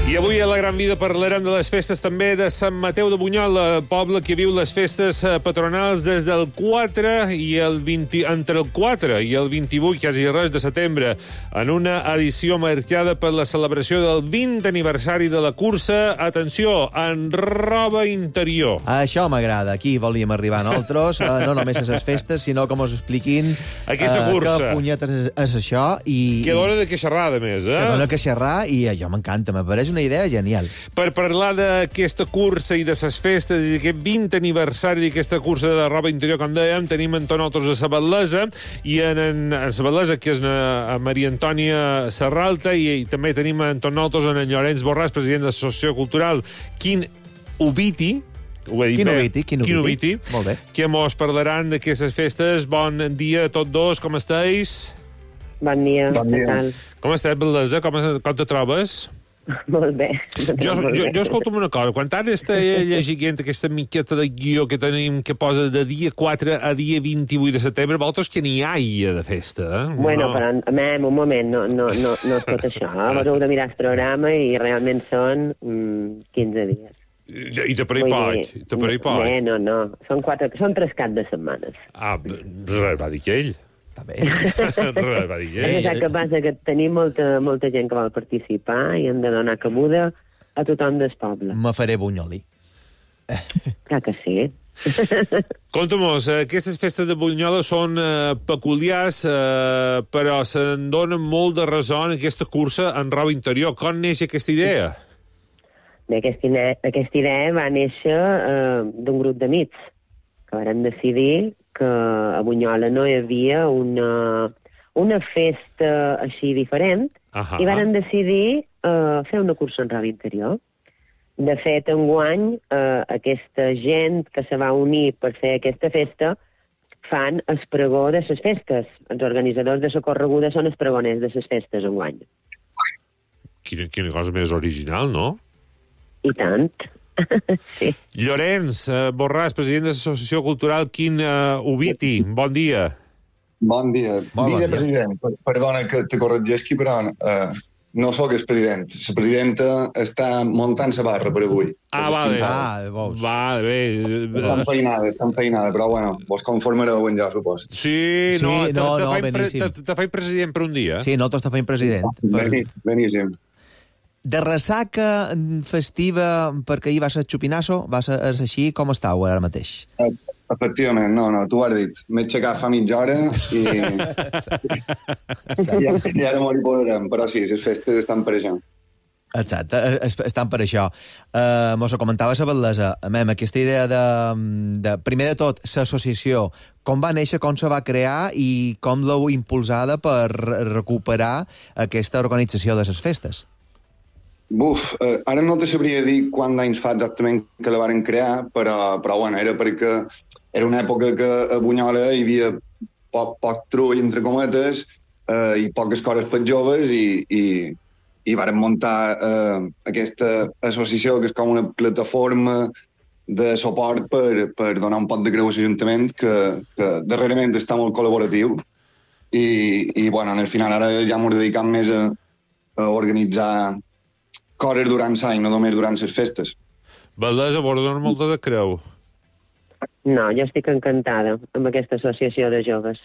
I avui a La Gran Vida parlarem de les festes també de Sant Mateu de Bunyola, poble que viu les festes patronals des del 4 i el 20, entre el 4 i el 28, quasi res de setembre, en una edició marcada per la celebració del 20 aniversari de la cursa. Atenció, en roba interior. Això m'agrada. Aquí volíem arribar nosaltres, no només a les festes, sinó com us expliquin aquesta cursa. Que punyetes és això. Que dona de queixarrar, a més. Que dona queixarrar, i allò m'encanta, m'apareix una idea genial. Per parlar d'aquesta cursa i de les festes i d'aquest 20 aniversari d'aquesta cursa de roba interior, com dèiem, tenim amb nosaltres a Sabatlesa, i en Sabatlesa, que és a Maria Antònia Serralta, i també tenim amb nosaltres en Llorenç Borràs, president de l'Associació Cultural Quin Ubiti, Ho he dit bé. Quino Viti. Molt bé. Que mos parlaran d'aquestes festes. Bon dia a tots dos, com estàs? Bon dia. Què tal? Com estàs, Baldesa? Com te trobes? Molt bé. Jo escolta'm una cosa. Quan ara estava llegint aquesta miqueta de guió que tenim que posa de dia 4 a dia 28 de setembre, vosaltres que n'hi ha de festa, eh? Bueno, però un moment, no és tot això. Vos heu de mirar el programa i realment són 15 dies. I te per hi poc. No. Són 3 caps de setmanes. Res va dir que ell. Res va dir que ell. El que passa que tenim molta gent que vol participar i hem de donar cabuda a tothom del poble. Me faré bunyoli. Clar que sí. Conta'm-nos, aquestes festes de Bunyola són peculiars, però se'n donen molt de raó en aquesta cursa en roba interior. Com neix aquesta idea? Aquesta idea va néixer d'un grup d'amics que varen decidir que a Bunyola no hi havia una festa així diferent i varen decidir fer una cursa en roba interior. De fet, enguany, aquesta gent que se va unir per fer aquesta festa fan el pregó de les festes. Els organitzadors de la correguda són els pregoners de les festes enguany. Quina cosa més original, no? I tant. Sí. Llorenç Borràs, president de l'Associació Cultural Quin Oviti. Bon dia. Bon dia. Vicepresident, perdona que te corregeixi, però no sóc el president. La presidenta està muntant la barra per avui. Vale. Vale, bé. Està enfeinada, però bueno, vos conformareu en ja, suposo. Sí, te faig president per un dia. Sí, no, t'està fent president. Beníssim. De ressaca festiva, perquè ahir va ser xupinasso, va ser així com estàu ara mateix? Efectivament, no, tu ho has dit. M'he aixecat fa mitja hora i ara m'ho posarem, però sí, les festes estan per això. Exacte, estan per això. Mos ho comentava la Baldesa, aquesta idea de primer de tot, l'associació, com va néixer, com se va crear i com l'heu impulsada per recuperar aquesta organització de les festes? Ara no te sabria dir quant d'anys fa exactament que la varen crear, però bueno, era perquè era una època que a Bunyola hi havia poc trull, entre cometes, i poques coses per joves, i varen muntar aquesta associació, que és com una plataforma de suport per donar un pot de creu a l'Ajuntament, que darrerament està molt col·laboratiu, i bueno, en el final ara ja m'ho dedicam més a organitzar coses durant l'any, no només durant les festes. Baldesa, vos dona molta de creu. No, jo estic encantada amb aquesta associació de joves.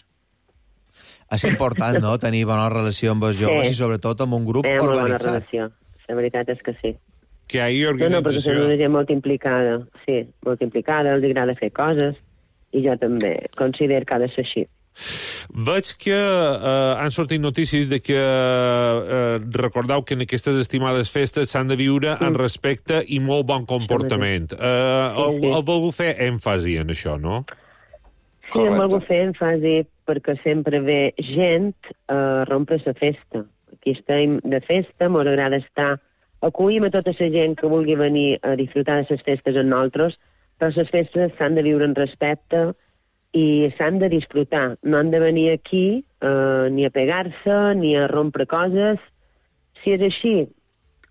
És important, no?, tenir bona relació amb els joves i sobretot amb un grup organitzat. Molt bona relació, la veritat és que sí. Que hi ha organització... No, perquè són una gent molt implicada, sí, molt implicada, els agrada fer coses, i jo també considero que ha de ser així. Veig que han sortit notícies de que recordeu que en aquestes estimades festes s'han de viure en respecte i molt bon comportament. Heu volgut fer èmfasi en això, no? Sí, hem volgut fer èmfasi perquè sempre ve gent a rompre la festa. Aquí estem de festa, m'ho agrada estar. Acollim a tota la gent que vulgui venir a disfrutar de les festes amb nosaltres, però les festes s'han de viure en respecte i s'han de disfrutar. No han de venir aquí ni a pegar-se, ni a rompre coses. Si és així,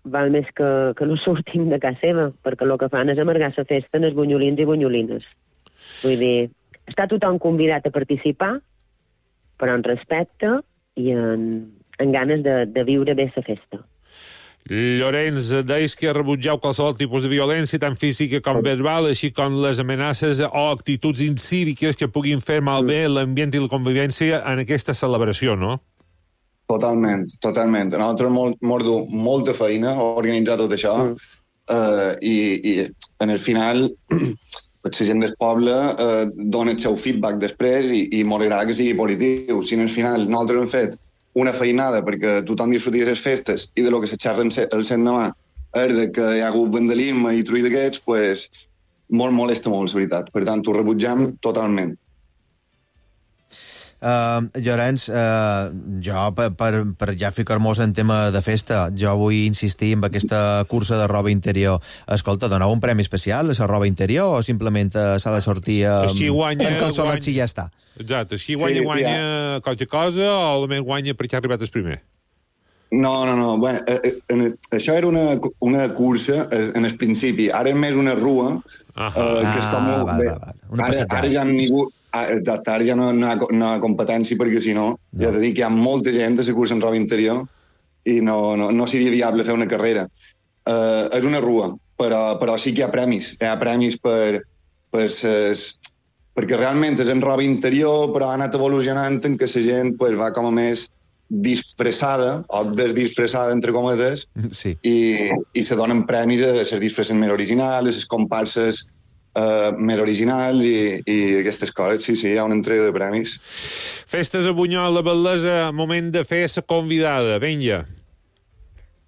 val més que no sortim de casa seva, perquè el que fan és amargar la festa en els bunyolins i bunyolines. Vull dir, està tothom convidat a participar, però en respecte i en ganes de viure bé la festa. Llorenç, deies que rebutgeu qualsevol tipus de violència, tant física com verbal, així com les amenaces o actituds incíviques que puguin fer malbé l'ambient i la convivència en aquesta celebració, no? Totalment. A nosaltres mos du molta feina organitzar tot això i en el final la gent del poble dona el seu feedback després i mos agrada que sigui positiu. Si en el final nosaltres hem fet una feinada perquè tothom disfruti de les festes i de lo que se xerra el demà és de que hi ha hagut vandalisme i trull d'aquests, pues, molt molesta molt, la veritat. Per tant, ho rebutjam totalment. Llorenç, jo, per ja ficar-nos en tema de festa, jo vull insistir en aquesta cursa de roba interior. Escolta, doneu un premi especial a la roba interior o simplement s'ha de sortir en calçolets i ja està? Exacte, així guanya qualque cosa o almenys guanya perquè ha arribat el primer? No. Bueno, això era una cursa en el principi. Ara és més una rua, que és com... Ara ja ningú... Exacte, ara ja no hi ha competència, perquè si no, ja t'he dit que hi ha molta gent a la cursa en roba interior i no seria viable fer una carrera. És una rua, però sí que hi ha premis. Hi ha premis perquè realment és en roba interior, però ha anat evolucionant en què la gent va com a més disfressada, o desdisfressada, entre cometes, i se donen premis a les disfresses més originals, a les comparses més originals i aquestes coses. Sí, hi ha una entrega de premis. Festes a Bunyol, la Bel·lesa, moment de fer la convidada. Vinga.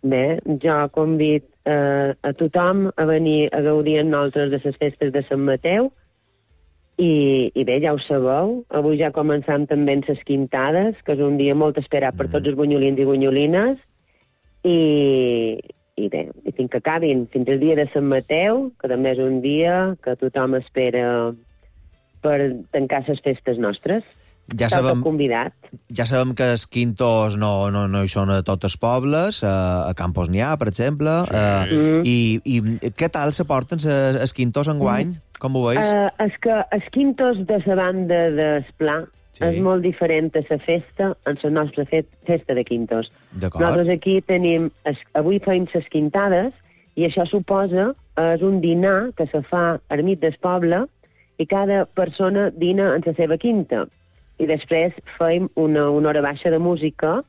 Bé, jo convid a tothom a venir a gaudir amb nosaltres de les festes de Sant Mateu i bé, ja ho sabeu, avui ja començam també amb les quintades, que és un dia molt esperat per tots els bunyolins i bunyolines, i bé, i fins que acabin, fins el dia de Sant Mateu, que també és un dia que tothom espera per tancar les festes nostres. Ja sabem que els quintos no hi són a tots els pobles, a Campos n'hi ha, per exemple, i què tal se porten els quintos enguany? Com ho veus? És que els quintos de la banda d'Esplà és molt diferent a la festa, en la nostra festa de quintos. Nosaltres aquí tenim, avui feim les quintades, i això suposa, és un dinar que se fa al mig del poble, i cada persona dina en la seva quinta. I després feim una hora baixa de música,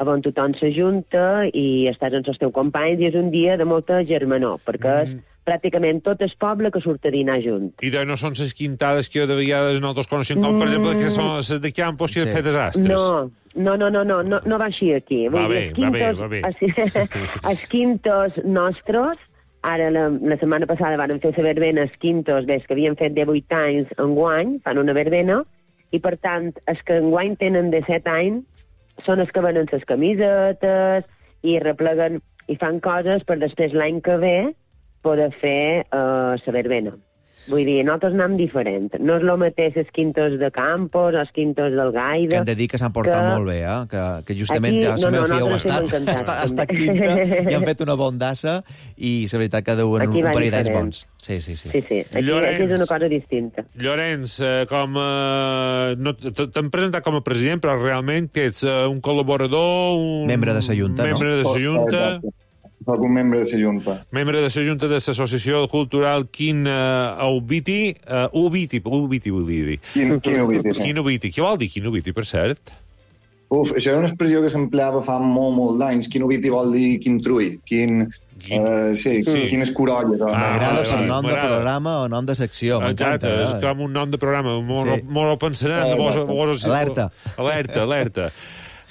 on tothom s'ajunta i estàs amb els teus companys, i és un dia de molta germanor, perquè és pràcticament tot el poble que surt a dinar junt. I no són les quintades que de vegades nosaltres coneixem, com per exemple que són les de Campos que han fet desastres. No va així aquí. Va bé. Els quintos nostres, ara la setmana passada van fer la verbena, els quintos, que havien fet 18 anys enguany, fan una verbena, i per tant, els que enguany tenen 17 anys són els que venen les camisetes i repleguen i fan coses per després l'any que ve poder fer la verbena. Vull dir, nosaltres anem diferent. No és el mateix els quintos de Campos, els quintos del Gaida... Que hem de dir que s'han portat molt bé, que justament ja la meva filla ho ha estat quinta i han fet una bondassa i la veritat que deuen un parell d'anys bons. Sí. Aquí és una cosa distinta. Llorenç, t'han presentat com a president, però realment que ets un col·laborador... Membre de la Junta, no? Membre de la Junta... Soc un membre de la Junta. Membre de la Junta de l'Associació Cultural Quin Ubiti, volia dir. Quin Ubiti, sí. Quin Ubiti. Què vol dir Quin Ubiti, per cert? Això era una expressió que s'empleava fa molt d'anys. Quin Ubiti vol dir quin trull, quin escurolla. M'agrada per nom de programa o nom de secció. Exacte, és com un nom de programa. Molt pensarem. Alerta.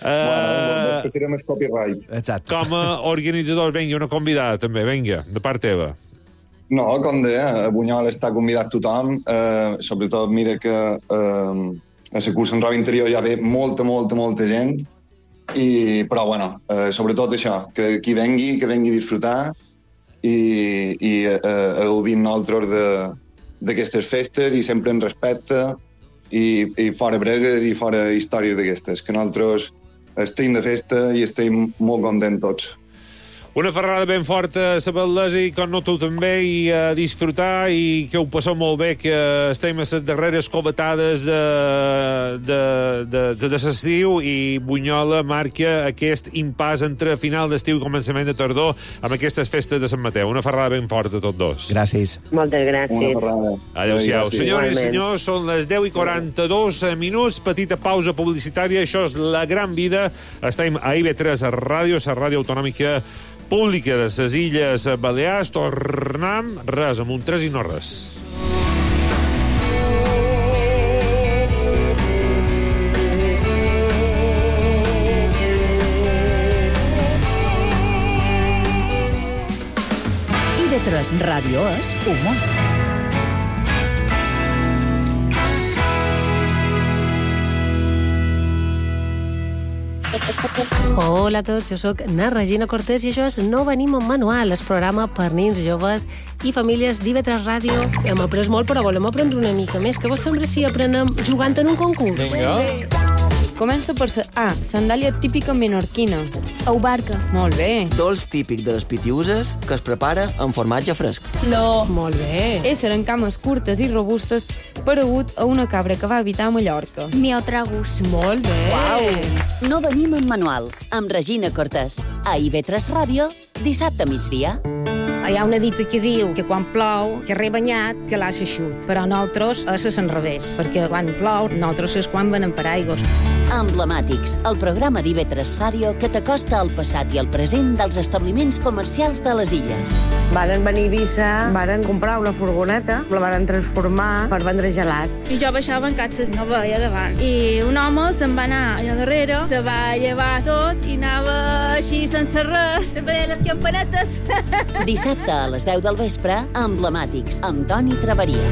Serem el copyright. Com a organitzador, vinga, una convidada també, vinga, de part teva. No, com deia, a Bunyol està convidat tothom, sobretot mira que a la cursa en roba interior ja ve molta gent, però bueno, sobretot això, que qui vengui, que vengui a disfrutar i a gaudir nosaltres d'aquestes festes i sempre en respecte i fora bregues i fora històries d'aquestes, que nosaltres estem de festa i estem molt contents tots. Una ferrada ben forta a la Bel·lesa i com no tu també, i a disfrutar i que ho passeu molt bé, que estem a les darreres covetades de l'estiu i Bunyola marca aquest impàs entre final d'estiu i començament de tardor amb aquestes festes de Sant Mateu. Una ferrada ben forta a tots dos. Gràcies. Moltes gràcies. Adéu-siau. Senyores i senyors, són les 10:42, petita pausa publicitària. Això és La Gran Vida. Estem a IB3 a ràdio, la ràdio autonòmica pública de les Illes Balears. Tornem, res, amb un 3 i no res. IB3 Ràdio és humor. Hola a tots, jo sóc na Regina Cortés i això és No venim amb manual, el programa per nens, joves i famílies d'IV3 Ràdio. Hem après molt, però volem aprendre una mica més. Què vols semblar si aprenem jugant en un concurs? Vinga. Comença per A, sandàlia típica menorquina. Au barca. Molt bé. Dolç típic de les Pitiuses que es prepara amb formatge fresc. No. Molt bé. Ésser en cames curtes i robustes paregut a una cabra que va habitar a Mallorca. Miotragus. Molt bé. Uau. No venim amb manual, amb Regina Cortés. A IV3 Ràdio, dissabte a migdia. Hi ha una dita que diu que quan plou, que rebanyat, que l'ha eixut. Però nosaltres és l'enrevés, perquè quan plou, nosaltres és quan venem per aigües. Emblemàtics, el programa d'IV3 Ràdio que t'acosta al passat i al present dels establiments comercials de les illes. Varen venir a Eivissa, varen comprar una furgoneta, la varen transformar per vendre gelats. I jo baixava en catxes, no veia davant. I un home se'n va anar allà darrere, se va llevar tot i anava així sense res, sempre les campanetes. Dissabte a les 10 del vespre, Emblemàtics, amb Toni Traveria.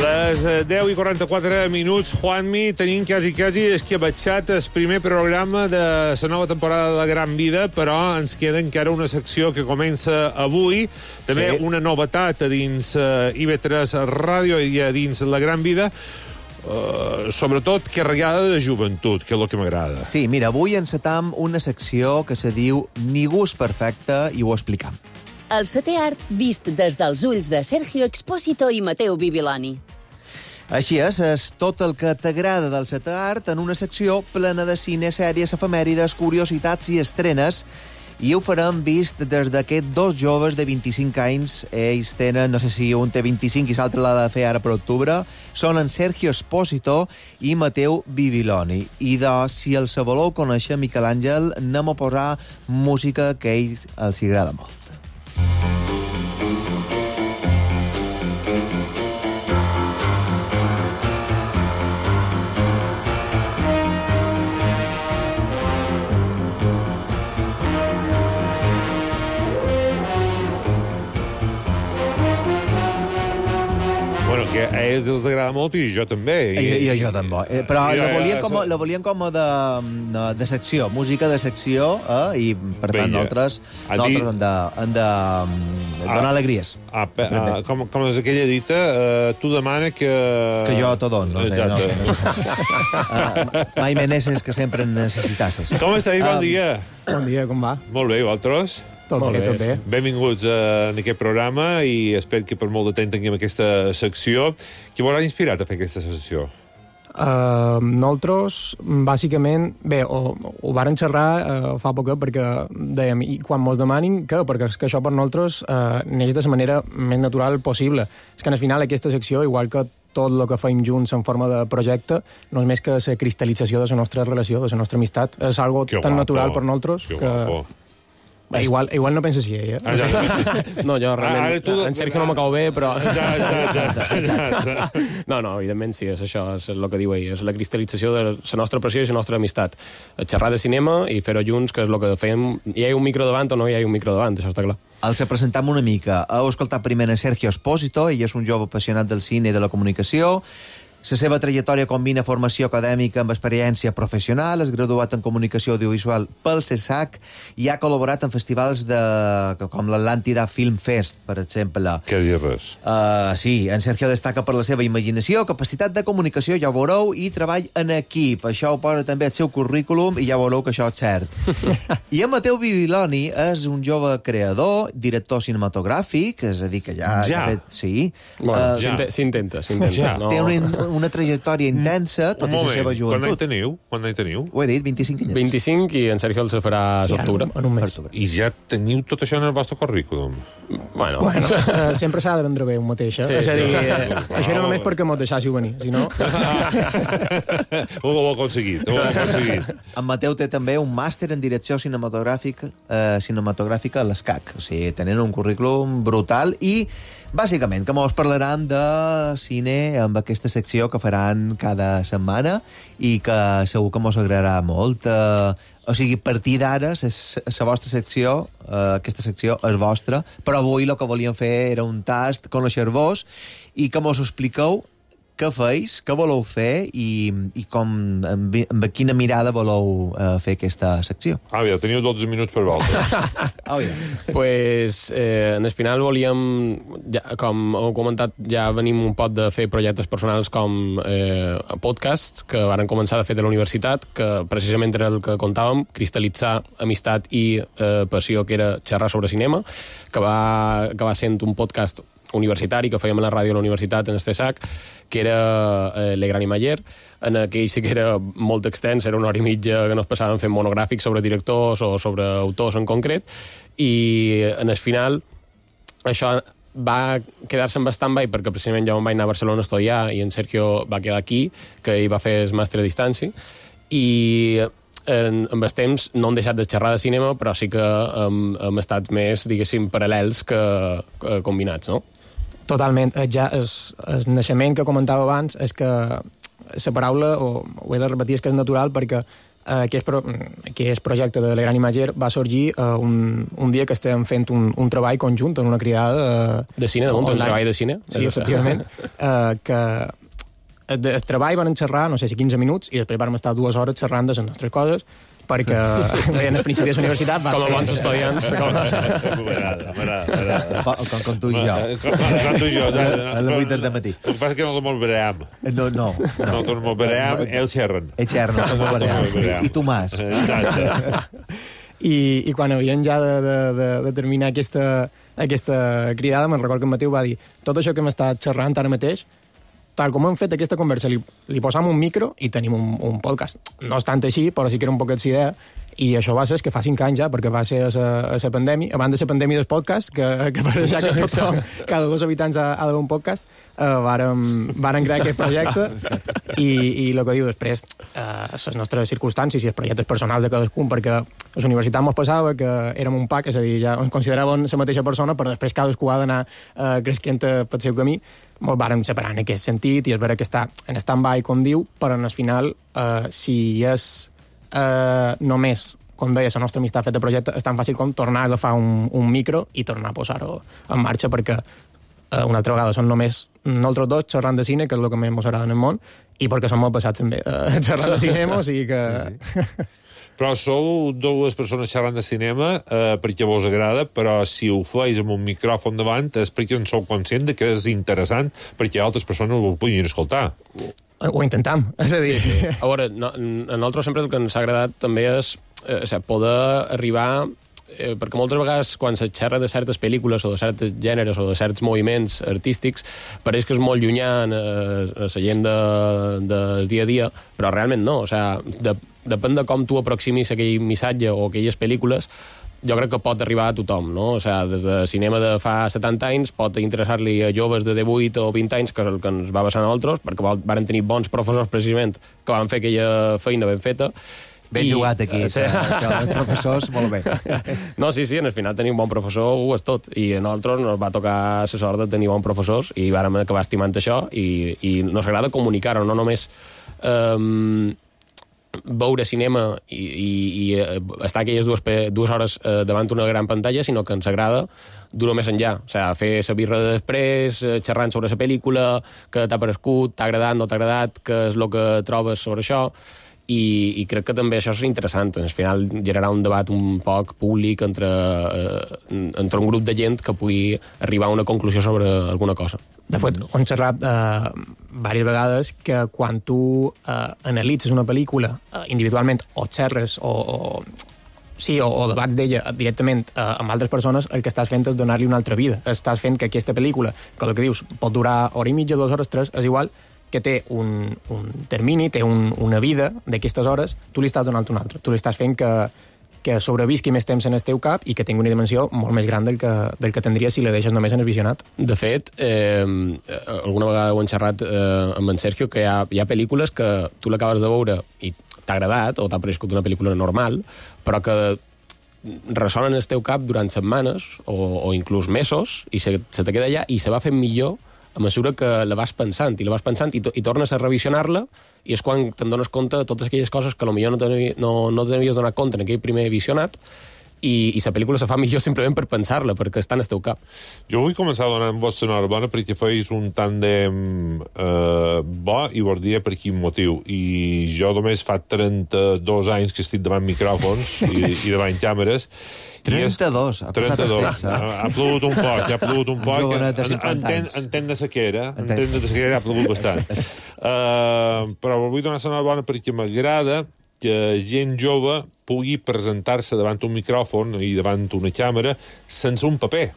Les 10 i 44 minuts, Juanmi, tenim quasi esquiabatxat el primer programa de la nova temporada de La Gran Vida, però ens queda encara una secció que comença avui, també una novetat a dins IV3 Ràdio i a dins La Gran Vida, sobretot carregada de joventut, que és el que m'agrada. Sí, mira, avui encetam una secció que se diu Ningú és perfecte i ho explicam. El setè art vist des dels ulls de Sergio Expósito i Mateu Bibiloni. Així és tot el que t'agrada del setè art en una secció plena de cine, sèries, efemèrides, curiositats i estrenes. I ho farem vist des d'aquests dos joves de 25 anys. Ells tenen, no sé si un té 25 i l'altre l'ha de fer ara per octubre. Són en Sergio Expósito i Mateu Bibiloni. I si els voleu conèixer, Miquel Àngel, anem a posar música que a ells els agrada molt. Que a ells els agrada molt i jo també. I jo també. Però la volien com de secció, música de secció, i per tant nosaltres hem de donar alegries. Com és aquella dita, tu demana que... Que jo t'ho dono, no sé. Mai meneses que sempre en necessitasses. Com esteu? Bon dia. Bon dia, com va? Molt bé, i vosaltres? Tot bé. Benvinguts en aquest programa i espero que per molt de temps tinguem aquesta secció. Què vos ha inspirat a fer aquesta secció? Nosaltres, bàsicament, bé, ho varen xerrar fa poc perquè dèiem, i quan mos demanin què? Perquè és que això per nosaltres neix de la manera més natural possible. És que al final aquesta secció, igual que tot el que feim junts en forma de projecte, no és més que la cristal·lització de la nostra relació, de la nostra amistat. És algo tan natural per nosaltres que... Igual no penses així, eh? No, jo realment... En Sergio no m'acabo bé, però... No, evidentment sí, és això, és el que diu ell, és la cristal·lització de la nostra passió i la nostra amistat. Xerrar de cinema i fer-ho junts, que és el que fem. Hi ha un micro davant o no hi ha un micro davant, això està clar. Els presentam una mica. Heu escoltat primer a Sergio Expósito, ell és un jove apassionat del cine i de la comunicació. La seva trajectòria combina formació acadèmica amb experiència professional, és graduat en comunicació audiovisual pel CESAC i ha col·laborat en festivals com l'Atlàntida Film Fest, per exemple. Què dir res? Sí, en Sergio destaca per la seva imaginació, capacitat de comunicació, ja ho veureu, i treball en equip. Això ho posa també al seu currículum i ja veureu que això és cert. I en Mateu Bibiloni és un jove creador, director cinematogràfic, és a dir, que ja... Sí. S'intenta. Té una trajectòria intensa, tot i la seva joventut. Quan n'hi teniu? Ho he dit, 25 anys. 25 i en Sergio els farà l'octubre. En un mes. I ja teniu tot això en el vostre currículum? Bueno, sempre s'ha de vendre bé un mateix, eh? És a dir, això era només perquè m'ho deixàssiu venir, si no... Ho heu aconseguit. En Mateu té també un màster en direcció cinematogràfica a l'ESCAC. O sigui, tenen un currículum brutal i, bàsicament, que mos parlaran de cine amb aquesta secció que faran cada setmana i que segur que mos agradarà molt. O sigui, a partir d'ara, la vostra secció, aquesta secció és vostra, però avui el que volíem fer era un tast, conèixer-vos, i que mos expliqueu què feis, què voleu fer i com, amb quina mirada voleu fer aquesta secció. Ja teniu 12 minuts per vosaltres. Pues, en el final volíem, com heu comentat, ja venim un pot de fer projectes personals com podcasts, que varen començar de fet a la universitat, que precisament era el que contàvem, cristal·litzar amistat i passió, que era xerrar sobre cinema, que va acabar sent un podcast universitari que fèiem a la ràdio a la universitat en Estesac, que era Le Gran Imager. En aquell sí que era molt extens, era 1 hora i mitja que nos passàvem fent monogràfics sobre directors o sobre autors en concret, i en el final això va quedar-se en stand-by perquè precisament jo em vaig anar a Barcelona a estudiar i en Sergio va quedar aquí, que ell va fer el màster a distància, i amb el temps no hem deixat de xerrar de cinema, però sí que hem estat més, diguéssim, paral·lels que combinats, no? Totalment. Ja el naixement que comentava abans és que la paraula, ho he de repetir, és que és natural perquè aquest projecte de Le Gran Imager va sorgir un dia que estàvem fent un treball conjunt en una cridada... De cine, un treball de cine? Sí, efectivament. Que el treball van xerrar, no sé si 15 minuts, i després vam estar 2 hores xerrant de les nostres coses, perquè en el principi de la universitat... Com a bons estudiants. Com tu i jo. Com tu i jo. A les 8 del matí. El que passa és que no te'l veream. No. No te'l veream, ells xerren. Ells xerren, no te'l veream. I tu más. I quan havien ja de terminar aquesta cridada, me'n recordo que en Mateu va dir: tot això que hem estat xerrant ara mateix, tal com hem fet aquesta conversa, li posam un micro i tenim un podcast. No és tant així, però sí que era un poquet d'idea, i això va ser que fa 5 anys ja, perquè va ser a la pandèmia, abans de la pandèmia del podcast, que per deixar que tothom, cada 2 habitants ha d'haver un podcast, varen crear aquest projecte, i el que diu després, les nostres circumstàncies i els projectes personals de cadascun, perquè a la universitat ens passava que érem un pack, és a dir, ja ens consideràvem la mateixa persona, però després cadascú ha d'anar creixent pel seu camí. Ens vàrem separar en aquest sentit, i és vera que està en stand-by, com diu, però al final, si és només, com deia, la nostra amistat feta projecte, és tan fàcil com tornar a agafar un micro i tornar a posar-ho en marxa, perquè una altra vegada són només nosaltres dos xerrant de cine, que és el que més ens agrada en el món, i perquè som molt passats també xerrant de cinema, o sigui que... Sí. Però sou 2 persones xerrant de cinema perquè vos agrada, però si ho feis amb un micròfon davant és perquè en sou conscient de que és interessant perquè altres persones ho puguin escoltar. Ho intentam, és a dir... Sí. A veure, a nosaltres sempre el que ens ha agradat també és poder arribar... perquè moltes vegades quan se xerra de certes pel·lícules o de certs gèneres o de certs moviments artístics pareix que és molt llunyà a la gent del dia a dia, però realment no, o sigui, depèn de com tu aproximis aquell missatge o aquelles pel·lícules, jo crec que pot arribar a tothom, no? O sigui, des de cinema de fa 70 anys pot interessar-li a joves de 18 o 20 anys, que és el que ens va passar a nosaltres, perquè van tenir bons professors precisament que van fer aquella feina ben feta. Ben jugat aquí, els professors, molt bé. No, sí, en el final tenir un bon professor ho és tot, i a nosaltres ens va tocar la sort de tenir bons professors i vàrem acabar estimant això, i nos agrada comunicar-ho, no només veure cinema i estar aquelles 2 hores davant una gran pantalla, sinó que ens agrada dur-ho més enllà, o sigui, fer la birra de després, xerrant sobre la pel·lícula, que t'ha parescut, t'ha agradat, no t'ha agradat, què és el que trobes sobre això, i crec que també això és interessant, al final generar un debat un poc públic entre un grup de gent que pugui arribar a una conclusió sobre alguna cosa. De fet, hem xerrat diverses vegades que quan tu analitzes una pel·lícula individualment o xerres o debats d'ella directament amb altres persones, el que estàs fent és donar-li una altra vida. Estàs fent que aquesta pel·lícula, que el que dius pot durar 1 hora i mitja, 2 hores, 3, és igual, que té un termini, té una vida d'aquestes hores, tu li estàs donant una altra. Tu li estàs fent que sobrevisqui més temps en el teu cap i que tingui una dimensió molt més gran del que tindria si la deixes només en el visionat. De fet, alguna vegada ho hem xerrat amb en Sergio, que hi ha pel·lícules que tu l'acabes de veure i t'ha agradat, o t'ha parescut una pel·lícula normal, però que ressonen en el teu cap durant setmanes o inclús mesos, i se te queda allà i se va fent millor a mesura que la vas pensant i tornes a revisionar-la, i és quan te'n dones compte de totes aquelles coses que potser no t'havies donat compte en aquell primer visionat, i la pel·lícula se fa millor simplement per pensar-la, perquè està en el teu cap. Jo vull començar donant vostra enhorabona perquè feis un tàndem bo, i vos diré per quin motiu. I jo només fa 32 anys que estic davant micròfons i davant càmeres. 32, ha passat el temps. Ha plogut un poc. Entenc de sequera, ha plogut bastant. Però vull donar l'enhorabona perquè m'agrada que gent jove pugui presentar-se davant un micròfon i davant una càmera sense un paper.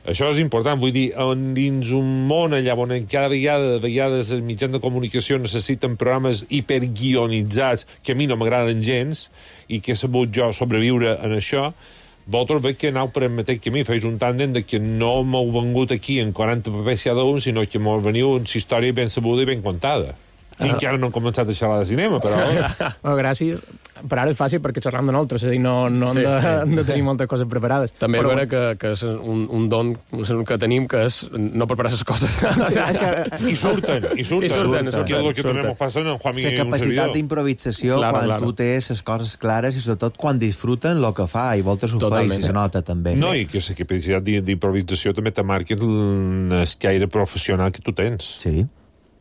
Això és important, vull dir, dins un món allà on cada vegades els mitjans de comunicació necessiten programes hiperguionitzats que a mi no m'agraden gens i que he sabut jo sobreviure en això, vosaltres veig que aneu per el mateix camí, feis un tàndem de que no m'heu vengut aquí en 40 papers cada un, sinó que m'heu veniu amb una història ben sabuda i ben contada. I encara no hem començat a xerrar de cinema, però... Gràcies. Per ara és fàcil perquè xerram de nosaltres, és a dir, no hem de tenir moltes coses preparades. També és vera que és un don que tenim, que és no preparar les coses. I surten. Que és el que també ens passa en Juan Miguel i un servidor. La capacitat d'improvisació quan tu tens les coses clares i sobretot quan disfruten el que fa, i voltes ho feis i se nota també. No, i que la capacitat d'improvisació també te marca el caire professional que tu tens. Sí.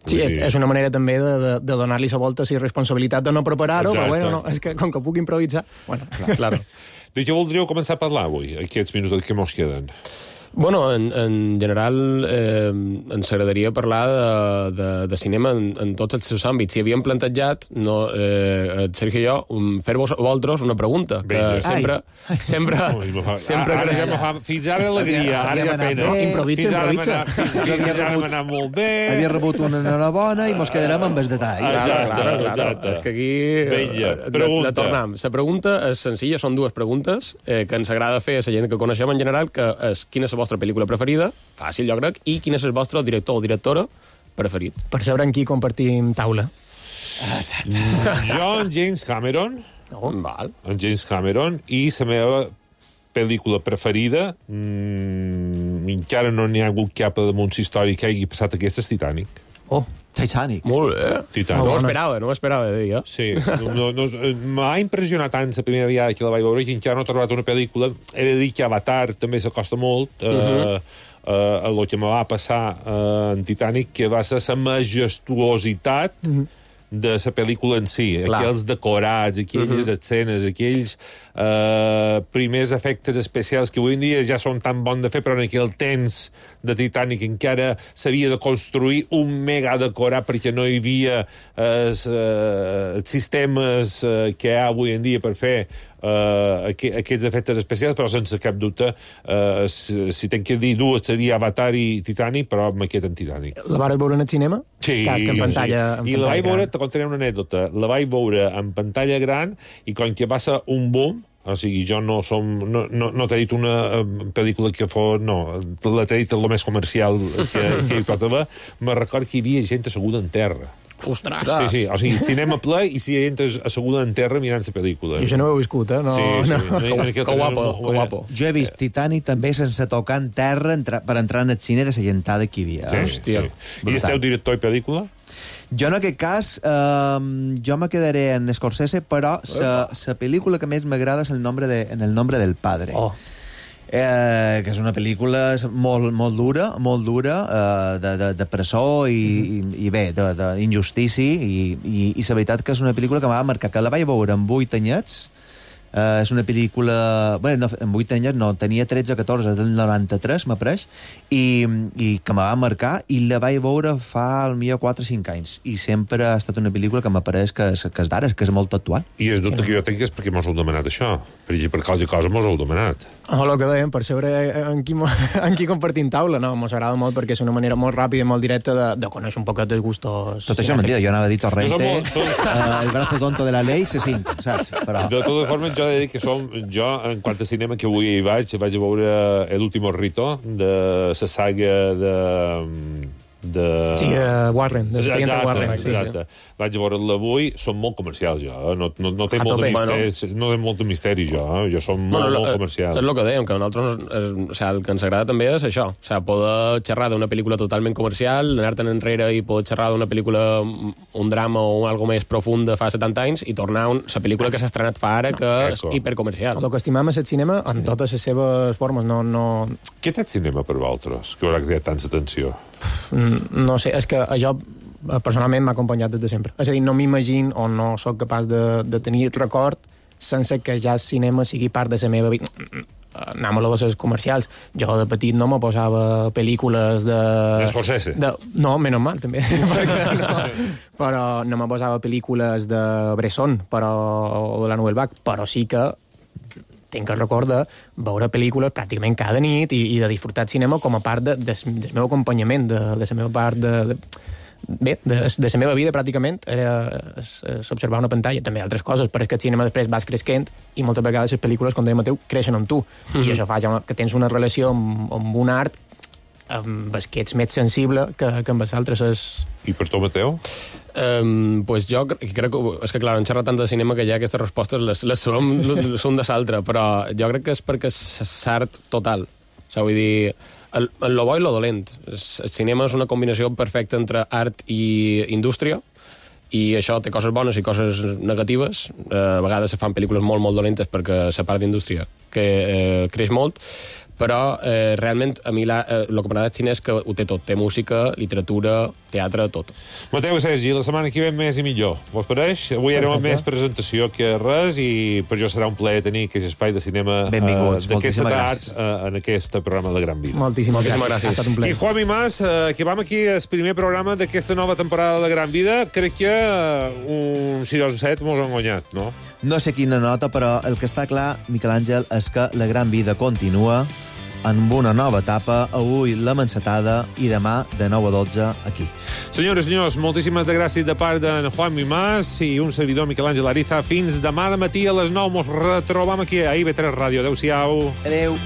Sí, és una manera també de donar-li la volta la responsabilitat de no preparar-ho, però bueno, és que com que puc improvisar... Bueno, clar. De què voldríeu començar a parlar avui, aquests minuts que mos queden? Bueno, en general ens agradaria parlar de cinema en tots els seus àmbits. Si havíem plantejat, Sergio i jo, fer-vos a vosaltres una pregunta, que sempre fins ara alegria, ara ja pena. Fins ara m'ha anat molt bé. Havia rebut una enhorabona i mos quedarem amb el detall. Exacte. És que aquí la tornem. La pregunta és senzilla, són dues preguntes que ens agrada fer a la gent que coneixem en general, que és quina és la vostra pel·lícula preferida, fàcil jo crec, i quin és el vostre director o directora preferit. Per saber amb qui compartim taula. Jo, en James Cameron. En James Cameron, i la meva pel·lícula preferida, encara no n'hi ha hagut cap damunt històric que hagi passat aquesta, és Titanic. Titanic. Molt bé. Titanic. No ho esperava de dir, jo. Sí. M'ha impressionat tant la primera vegada que la vaig veure, que encara no he trobat una pel·lícula. He de dir que Avatar també s'acosta molt el que me va passar en Titanic, que va ser la majestuositat de la pel·lícula en si. Aquells decorats, aquelles escenes, aquells primers efectes especials que avui en dia ja són tan bons de fer, però en aquell temps de Titanic encara s'havia de construir un mega decorat perquè no hi havia sistemes que hi ha avui en dia per fer aquests efectes especials, però sense cap dubte si tenc que dir dues seria Avatar i Titanic, però me quedo en Titanic. La vas veure en el cinema? Sí. En pantalla, I la vaig veure, te contaré una anècdota, la vaig veure en pantalla gran i com que va ser un boom, o sigui, jo no t'he dit una pel·lícula que fos... No, t'he dit el més comercial que hi pot haver. Me record que hi havia gent asseguda en terra. Ostres! Sí, o sigui, cinema ple i si hi ha gent asseguda en terra mirant la pel·lícula. Jo això no ho he viscut, No. Que guapo. Jo he vist Titanic també sense tocar en terra per entrar en el cine de la gentada que hi havia. Hòstia. I esteu director i pel·lícula? Jo en aquest cas, jo me quedaré en Scorsese, però la pel·lícula que més m'agrada és En el nombre del padre. Que és una pel·lícula molt dura, de presó i bé, d'injustícia, i la veritat que és una pel·lícula que m'ha marcat, que la vaig veure amb 8 anyets. És una pel·lícula... Bé, no, en 8 anys no, tenia 13 o 14, del 93, m'apareix, i que me va marcar, i la vaig veure fa, potser, 4 o 5 anys. I sempre ha estat una pel·lícula que m'apareix que és d'ara, que és molt actual. I el dubte que jo tinc és perquè mos heu demanat això. Per qualsevol cosa mos heu demanat. El que dèiem, per saber en qui compartim taula, no? Mos agrada molt perquè és una manera molt ràpida i molt directa de conèixer un poquet els gustos. Tot això és mentida, jo anava a dir Torrente, el brazo tonto de la ley, C5, saps? Però... De totes formes, jo he de dir que jo, en quant a cinema, que avui hi vaig a veure El último rito, de la saga Sí, Warren, de Warren. Exacte. Vaig a veure-la avui, són molt comercials, jo. No té molt de misteri, jo. Jo som molt comercial. És el que dèiem, que a nosaltres el que ens agrada també és això. O sigui, poder xerrar d'una pel·lícula totalment comercial, anar-te'n enrere i poder xerrar d'una pel·lícula, un drama o algo més profund de fa 70 anys i tornar a la pel·lícula que s'ha estrenat fa ara, que és hipercomercial. El que estimam és el cinema en totes les seves formes. Què té el cinema per vosaltres, que haurà creat tanta atenció? No sé, és que això personalment m'ha acompanyat des de sempre. És a dir, no m'imagino o no sóc capaç de tenir record sense que ja el cinema sigui part de la meva vida. Anem a les comercials. Jo de petit no me posava pel·lícules de... Scorsese? No, menys mal, també. Però no me posava pel·lícules de Bresson o de la Nouvelle Vague, però sí que tinc el record de veure pel·lícules pràcticament cada nit i de disfrutar el cinema com a part del meu acompanyament, de la meva part de la meva vida pràcticament era observar una pantalla, també altres coses, però és que el cinema després vas creixent i moltes vegades les pel·lícules, com dèiem a teu, creixen amb tu, i això fa que tens una relació amb un art amb el que ets més sensible que amb els altres és... I per tu, Mateu? Pues jo crec que... És que, clar, hem xerrat tant de cinema que ja aquestes respostes les són de l'altre, però jo crec que és perquè és l'art total. O sigui, vull dir, lo bo i lo dolent. El cinema és una combinació perfecta entre art i indústria, i això té coses bones i coses negatives. A vegades se fan pel·lícules molt, molt dolentes perquè la part d'indústria que creix molt, però realment a mi el que m'agrada del cine és que ho té tot. Té música, literatura, teatre, tot. Mateu i Sergi, la setmana que ve més i millor. Vos pareix? Avui era més presentació que res i per jo serà un plaer tenir aquest espai de cinema d'aquesta edat en aquest programa de Gran Vida. Moltíssimes gràcies. I Juanmi Mas, que vam aquí el primer programa d'aquesta nova temporada de Gran Vida, crec que un 6 o 7 mos han guanyat, no? No sé quina nota, però el que està clar, Miquel Àngel, és que la Gran Vida continua amb una nova etapa, avui la Mancetada i demà de 9 a 12 aquí. Senyores i senyors, moltíssimes gràcies de part d'en Juanmi Mas i un servidor Miquel Àngel Ariza. Fins demà de matí a les 9. Mos retrobam aquí a IB3 Ràdio. Adéu-siau. Adéu.